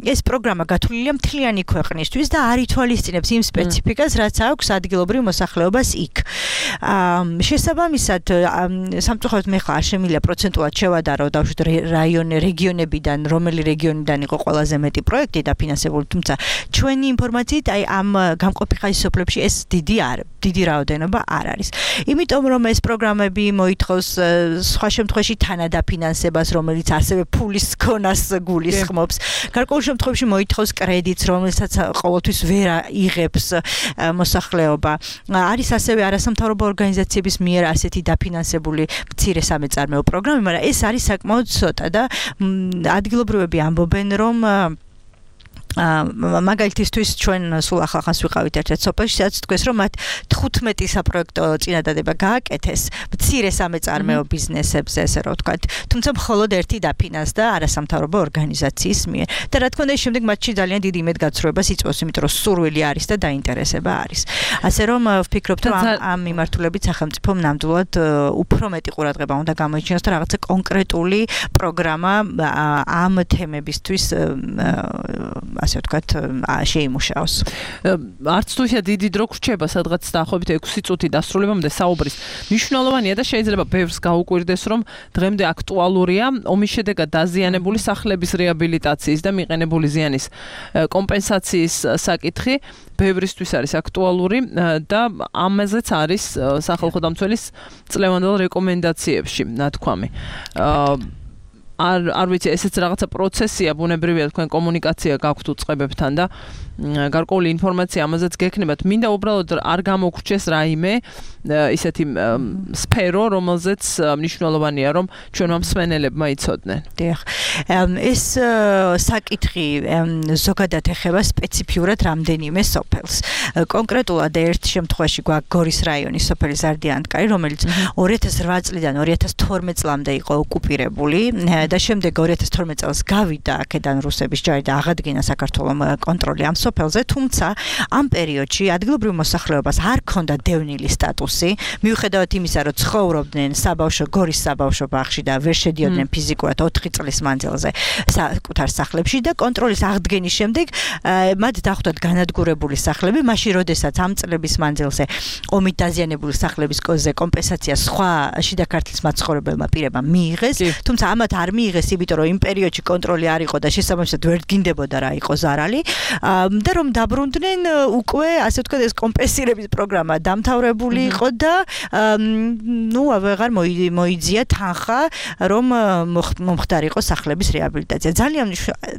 ეს პროგრამა გათვლილია მთლიანი ქვეყნისთვის და არ ითვალისწინებს იმ სპეციფიკას, რაც აქვს ადგილობრივ მოსახლეობას იქ. შესაბამისად სამწუხაროდ მე ხარ შემიძლია პროცენტულად შევადარო დავშვით რაიონი რეგიონებიდან რომელი რეგიონიდან იყო ყველაზე მეტი პროექტი დაფინანსებული, თუმცა ჩვენი ინფორმაციით აი ამ გამყოფი ხაზისოფლებში ეს დიდი არ დიდი რაოდენობა არ არის. იმიტომ რომ ეს პროგრამები მოითხოვს სხვა შემთხვევაში თანადაფინანსებას, რომელიც ასევე ფულის ქონას გულისხმობს. გარკვეულ შემთხვევაში მოითხოვს კრედიტს, რომელსაც ყოველთვის ვერ იღებს მოსახლეობა. არის ასევე არასამთავრობო ორგანიზაციების მიერ ასეთი დაფინანსებული მცირე სამეწარმეო პროგრამები, მაგრამ ეს არის საკმაოდ ცოტა და ადგილობრივები ამბობენ, რომ მაგალითისთვის ჩვენ სულ ახალხანს ვიყავით ერთ-ერთ სოფელში, სადაც თქვეს, რომ მათ თხუთმეტი საპროექტო წინადადება გააკეთეს მცირე სამეწარმეო ბიზნესებზე, ესე რომ ვთქვათ, თუმცა მხოლოდ ერთი დაფინანსდა არასამთავრობო ორგანიზაციის მიერ. და რა თქმა უნდა, შემდეგ მათში ძალიან დიდი იმედგაცრუებას იწვევს, იმიტომ რომ სურვილი არის და დაინტერესება არის. ასე რომ ვფიქრობთ, რომ ამ მიმართულებით სახელმწიფომ ნამდვილად უფრო მეტი ყურადღება უნდა გამოიჩინოს და რაღაცა კონკრეტული პროგრამა ამ თემებისთვის ასე ვთქვათ, შეიმუშაოს. არც თუ ისე დიდი დრო გრჩება, სადღაც დაახლოებით ექვსი წუთი დასრულებამდე საუბრის. მნიშვნელოვანია და შეიძლება ბევრს გაუკვირდეს, რომ დღემდე აქტუალურია ომის შედეგად დაზიანებული სახლების რეაბილიტაციის და მიყენებული ზიანის კომპენსაციის საკითხი. ბევრისთვის არის აქტუალური და ამაზეც არის სახალხო დამცველის წლევანდელ რეკომენდაციებში ნათქვამი. არ არ ვიცი ესეც რაღაცა პროცესია ბუნებრივია თქვენ კომუნიკაცია გაქვთ უწყებებთან და გარკვეული ინფორმაცია ამაზეც გექნებათ. მინდა უბრალოდ არ გამოგვრჩეს რაიმე ისეთი სფერო, რომელზეც მნიშვნელოვანია რომ ჩვენმა მსმენელებმა იცოდნენ. დიახ. ეს საკითხი ზოგადად ეხება სპეციფიურად რამდენიმე სოფელს. კონკრეტულად ერთ შემთხვევაში გვაქვს გორის რაიონის სოფელი ზარდიანტკარი, რომელიც ორი ათას რვა წლიდან ორი ათას თორმეტ წლამდე იყო ოკუპირებული და შემდეგ ორი ათას თორმეტ წელს გავიდა აქედან რუსების ჯარი და აღადგინა საქართველოს კონტროლი ამ სოფელზე, თუმცა ამ პერიოდში ადგილობრივ მოსახლეობას არ ჰქონდა დევნილი სტატუსი, მიუხედავად იმისა, რომ ცხოვრობდნენ საბავშვო გორის საბავშვო ბაღში და ვერ შედიოდნენ ფიზიკურად ოთხი წლის მანძილზე საკუთარ სახლებში და კონტროლის აღდგენის შემდეგ მათ დახვდათ განადგურებული სახლები, მაშინ როდესაც ამ წლების მანძილზე ომით დაზიანებული სახლების კოზე კომპენსაცია სხვა შიდა ქართლის მაცხოვრებელმა პირებმა მიიღეს, თუმცა ამათ არ მიიღეს, იმიტომ რომ იმ პერიოდში კონტროლი არ იყო და შესაბამისად ვერ დგინდებოდა რა იყო ზარალი და რომ დაბრუნდნენ უკვე ასე ვთქვათ ეს კომპენსირების პროგრამა დამთავრებული იყო და ნუ აღარ მოიძია თანხა რომ მომხდარიყო სახლების რეაბილიტაცია. ძალიან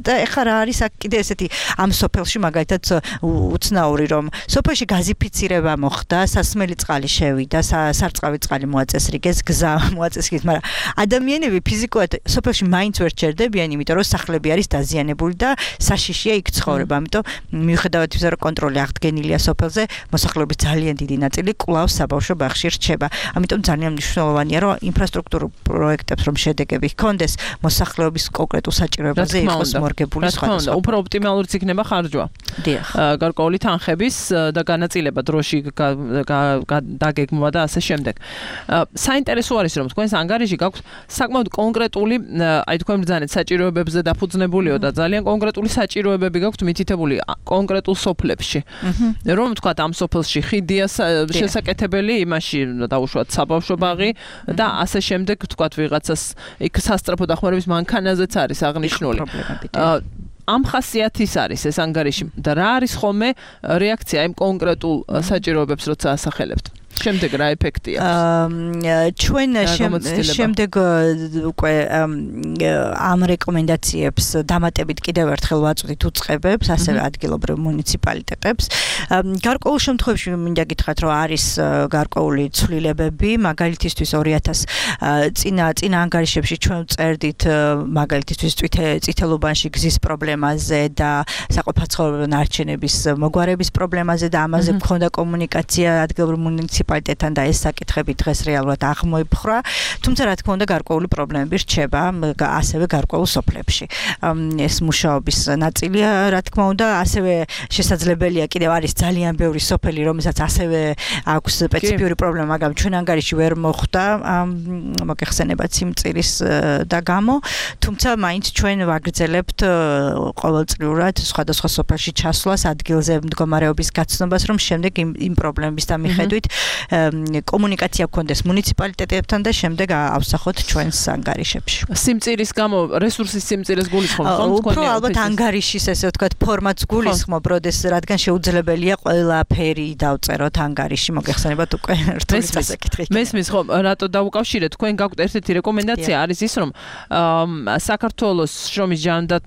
და ეხლა რა არის აქ კიდე ესეთი ამ სოფელში მაგალითად უცნაური რომ სოფელში გაზიფიცირება მოხდა, სასმელი წყალი შევიდა, სარწყავი წყალი მოაწესრიგეს, გზა მოაწესრიგეს, მაგრამ ადამიანები ფიზიკურად სოფელში მაინც ვერ ჩერდებიან, იმიტომ რომ სახლები არის დაზიანებული და საშიშია იქ ცხოვრება. ამიტომ მიუხედავად იმისა, რომ კონტროლი აღდგენილია სოფელზე, მოსახლეობის ძალიან დიდი ნაწილი კვლავ საბავშვო ბაღში რჩება. ამიტომ ძალიან მნიშვნელოვანია, რომ ინფრასტრუქტურულ პროექტებს რომ შედეგები ჰქონდეს, მოსახლეობის კონკრეტულ საჭიროებაზე იყოს მორგებული სხვადასხვა. უფრო ოპტიმალურიც იქნება ხარჯვა. დიახ. გარკვეული თანხების და განაწილება დროში დაგეგმვა და ასე შემდეგ. საინტერესო არის რომ თქვენს ანგარიში გაქვთ საკმაოდ კონკრეტული, აი თქვენ ბრძანეთ საჭიროებებზე დაფუძნებულიო და ძალიან კონკრეტული საჭიროებები გაქვთ მითითებული კონკრეტულ სოფლებში. რომ თქვათ ამ სოფელში ხიდია შესაკეთებელი, იმაში დაუშვათ საბავშვო ბაღი და ასე შემდეგ თქვათ ვიღაცას იქ სასწრაფო დახმარების მანქანაზეც არის აღნიშნული. ამ ხასიათის არის ეს ანგარიში და რა არის ხოლმე რეაქცია იმ კონკრეტულ საჭიროებებს როცა ასახელებთ? შემდეგ რა ეფექტია? ჩვენ შემდეგ უკვე ამ რეკომენდაციებს დამატებით კიდევ ერთხელ ვაწვდით უწყებებს, ასევე ადგილობრივ მუნიციპალიტეტებს. გარკვეულ შემთხვევებში მინდა გითხრათ, რომ არის გარკვეული ცვლილებები, მაგალითისთვის ორი ათას წინა წინა ანგარიშებში ჩვენ წერდით მაგალითისთვის წითელუბანში გზის პრობლემაზე და საყოფაცხოვრებელ ნარჩენების მოგვარების პრობლემაზე და ამაზე მქონდა კომუნიკაცია ადგილობრივ მუნიციპალიტეტთან და ეს საკითხები დღეს რეალურად აღმოიფხვრა, თუმცა რა თქმა უნდა გარკვეული პრობლემები რჩება ასევე გარკვეულ სოფლებში. ეს მუშაობის ნაწილია, რა თქმა უნდა, ასევე შესაძლებელია კიდევ არის ძალიან ბევრი სოფელი, რომელსაც ასევე აქვს სპეციფიური პრობლემა, მაგრამ ჩვენ ანგარიში ვერ მოხვდა მოგეხსენებათ სიმწირის და გამო, თუმცა მაინც ჩვენ ვაგრძელებთ ყოველწლიურად სხვადასხვა სოფელში ჩასვლას, ადგილზე მდგომარეობის გაცნობას, რომ შემდეგ იმ პრობლემების მიხედვით კომუნიკაცია გქონდეს მუნიციპალიტეტებთან და შემდეგ ავსახოთ ჩვენს ანგარიშებში. სიმწირის გამო რესურსის სიმწირეს გულისხმობ ხომ? უფრო ალბათ ანგარიშის ესე ვთქვათ ფორმატს გულისხმობ, როდეს რადგან შეუძლებელია ყველაფერი დავწეროთ ანგარიში, მოგეხსენებათ უკვე რთული საკითხი. მესმის ხომ, რატო დაუკავშირეთ? თქვენ გაქვთ ერთ-ერთი რეკომენდაცია არის ის, რომ საქართველოს შრომის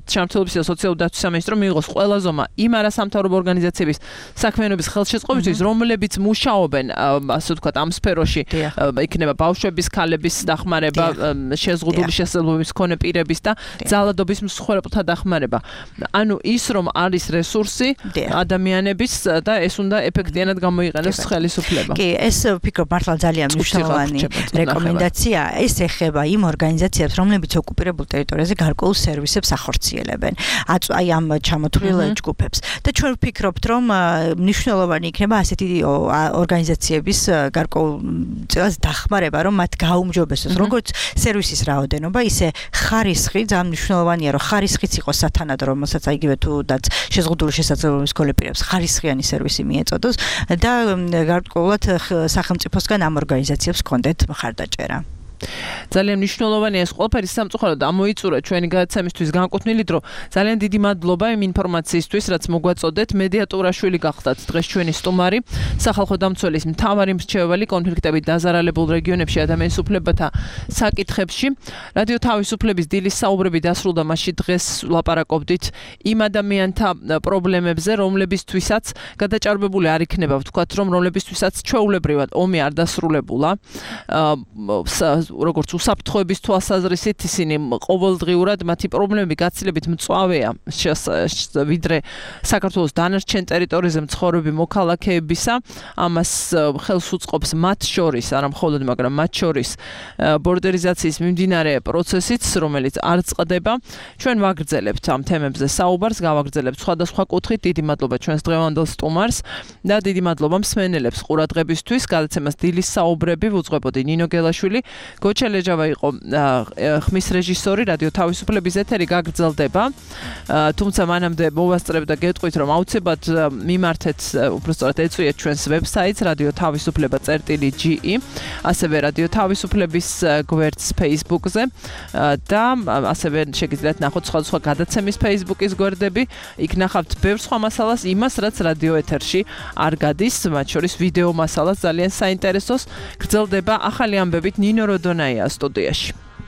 ჯანმრთელობის და სოციალური დაცვის სამინისტრო მიიღოს ყველა ზომა იმ არასამთავრობო ორგანიზაციების საქმიანობის ხელშეწყობისთვის, რომლებიც მუშაობენ ასე ვთქვათ ამ სფეროში, იქნება ბავშვების, ქალების დახმარება, შეზღუდული შესაძლებლობის მქონე პირების და ძალადობის მსხვერპლთა დახმარება. ანუ ის რომ არის რესურსი ადამიანების და ეს უნდა ეფექტიანად გამოიყენოს ხელისუფლება. კი, ეს ვფიქრობ მართლა ძალიან მნიშვნელოვანი რეკომენდაცია. ეს ეხება იმ ორგანიზაციებს, რომლებიც ოკუპირებულ ტერიტორიაზე გარკვეულ სერვისებს ახორციელებენ. აი ამ ჩამოთვლილ ჯგუფებს. და ჩვენ ვფიქრობთ, რომ მნიშვნელოვანი იქნება ასეთი ორგანიზაციების გარკვეულ წელს დახმარება, რომ მათ გაუმჯობესოს როგორც სერვისის რაოდენობა, ისე ხარისხი, ძალიან მნიშვნელოვანია, რომ ხარისხიც იყოს სათანადო, რომელსაც აიგივე თუდაც შეზღუდული შესაძლებლობის მქონე პირებს ხარისხიანი სერვისი მიეწოდოს და გარკვეულად სახელმწიფოსგან ამ ორგანიზაციებს ჰქონდეთ მხარდაჭერა. ძალიან მნიშვნელოვანია ეს ყველაფერი სამწუხაროდ ამოიწურა ჩვენი გადაცემისთვის განკუთვნილი დრო. ძალიან დიდი მადლობა იმ ინფორმაციისთვის, რაც მოგვაწოდეთ. მედია ტურაშვილი გახდათ დღეს ჩვენი სტუმარი, სახალხო დამცველის მთავარი მრჩეველი კონფლიქტებით დაზარალებულ რეგიონებში ადამიანის უფლებათა საკითხებში. რადიო თავისუფლების დილის საუბრები დასრულდა, მასში დღეს ვლაპარაკობდით იმ ადამიანთა პრობლემებზე, რომლებისთვისაც გადაჭარბებული არ იქნება, ვთქვათ, რომ რომლებისთვისაც ჩვეულებრივად ომი არ დასრულებულა. როგორც უსაფრთხოების თვალსაზრისით ისინი ყოველდღიურად მათი პრობლემები გაცილებით მწვავეა ვიდრე საქართველოს დანარჩენ ტერიტორიაზე მცხოვრები მოქალაქეებისა. ამას ხელს უწყობს მათ შორის, არა მხოლოდ, მაგრამ მათ შორის ბორდერიზაციის მიმდინარე პროცესიც, რომელიც არ წყდება. ჩვენ ვაგრძელებთ ამ თემებზე საუბარს, გავაგრძელებთ სხვადასხვა კუთხით. დიდი მადლობა ჩვენს დღევანდელ სტუმარს და დიდი მადლობა მსმენელებს ყურადღებისთვის. გადაცემას დილის საუბრები ვუძღვებოდი ნინო გელაშვილი. გოჩელეჯავა იყო ხმის რეჟისორი. რადიო თავისუფლების ეთერი გაგრძელდება. თუმცა მანამდე მოვასწრებ და გეტყვით, რომ აუცილებლად მიმართეთ, უბრალოდ ეწვიეთ ჩვენს ვებსაიტს რადიო თავისუფლება წერტილი ჯი ი, ასევე რადიო თავისუფლების გვერდს Facebook-ზე და ასევე შეგიძლიათ ნახოთ სხვადასხვა გადაცემის Facebook-ის გვერდები. იქ ნახავთ ბევრ სხვა მასალას, იმას, რაც რადიო ეთერში არ გადის, მათ შორის ვიდეო მასალას ძალიან საინტერესოს. გრძელდება ახალი ამბებით ნინო როდონაია სტუდიაში.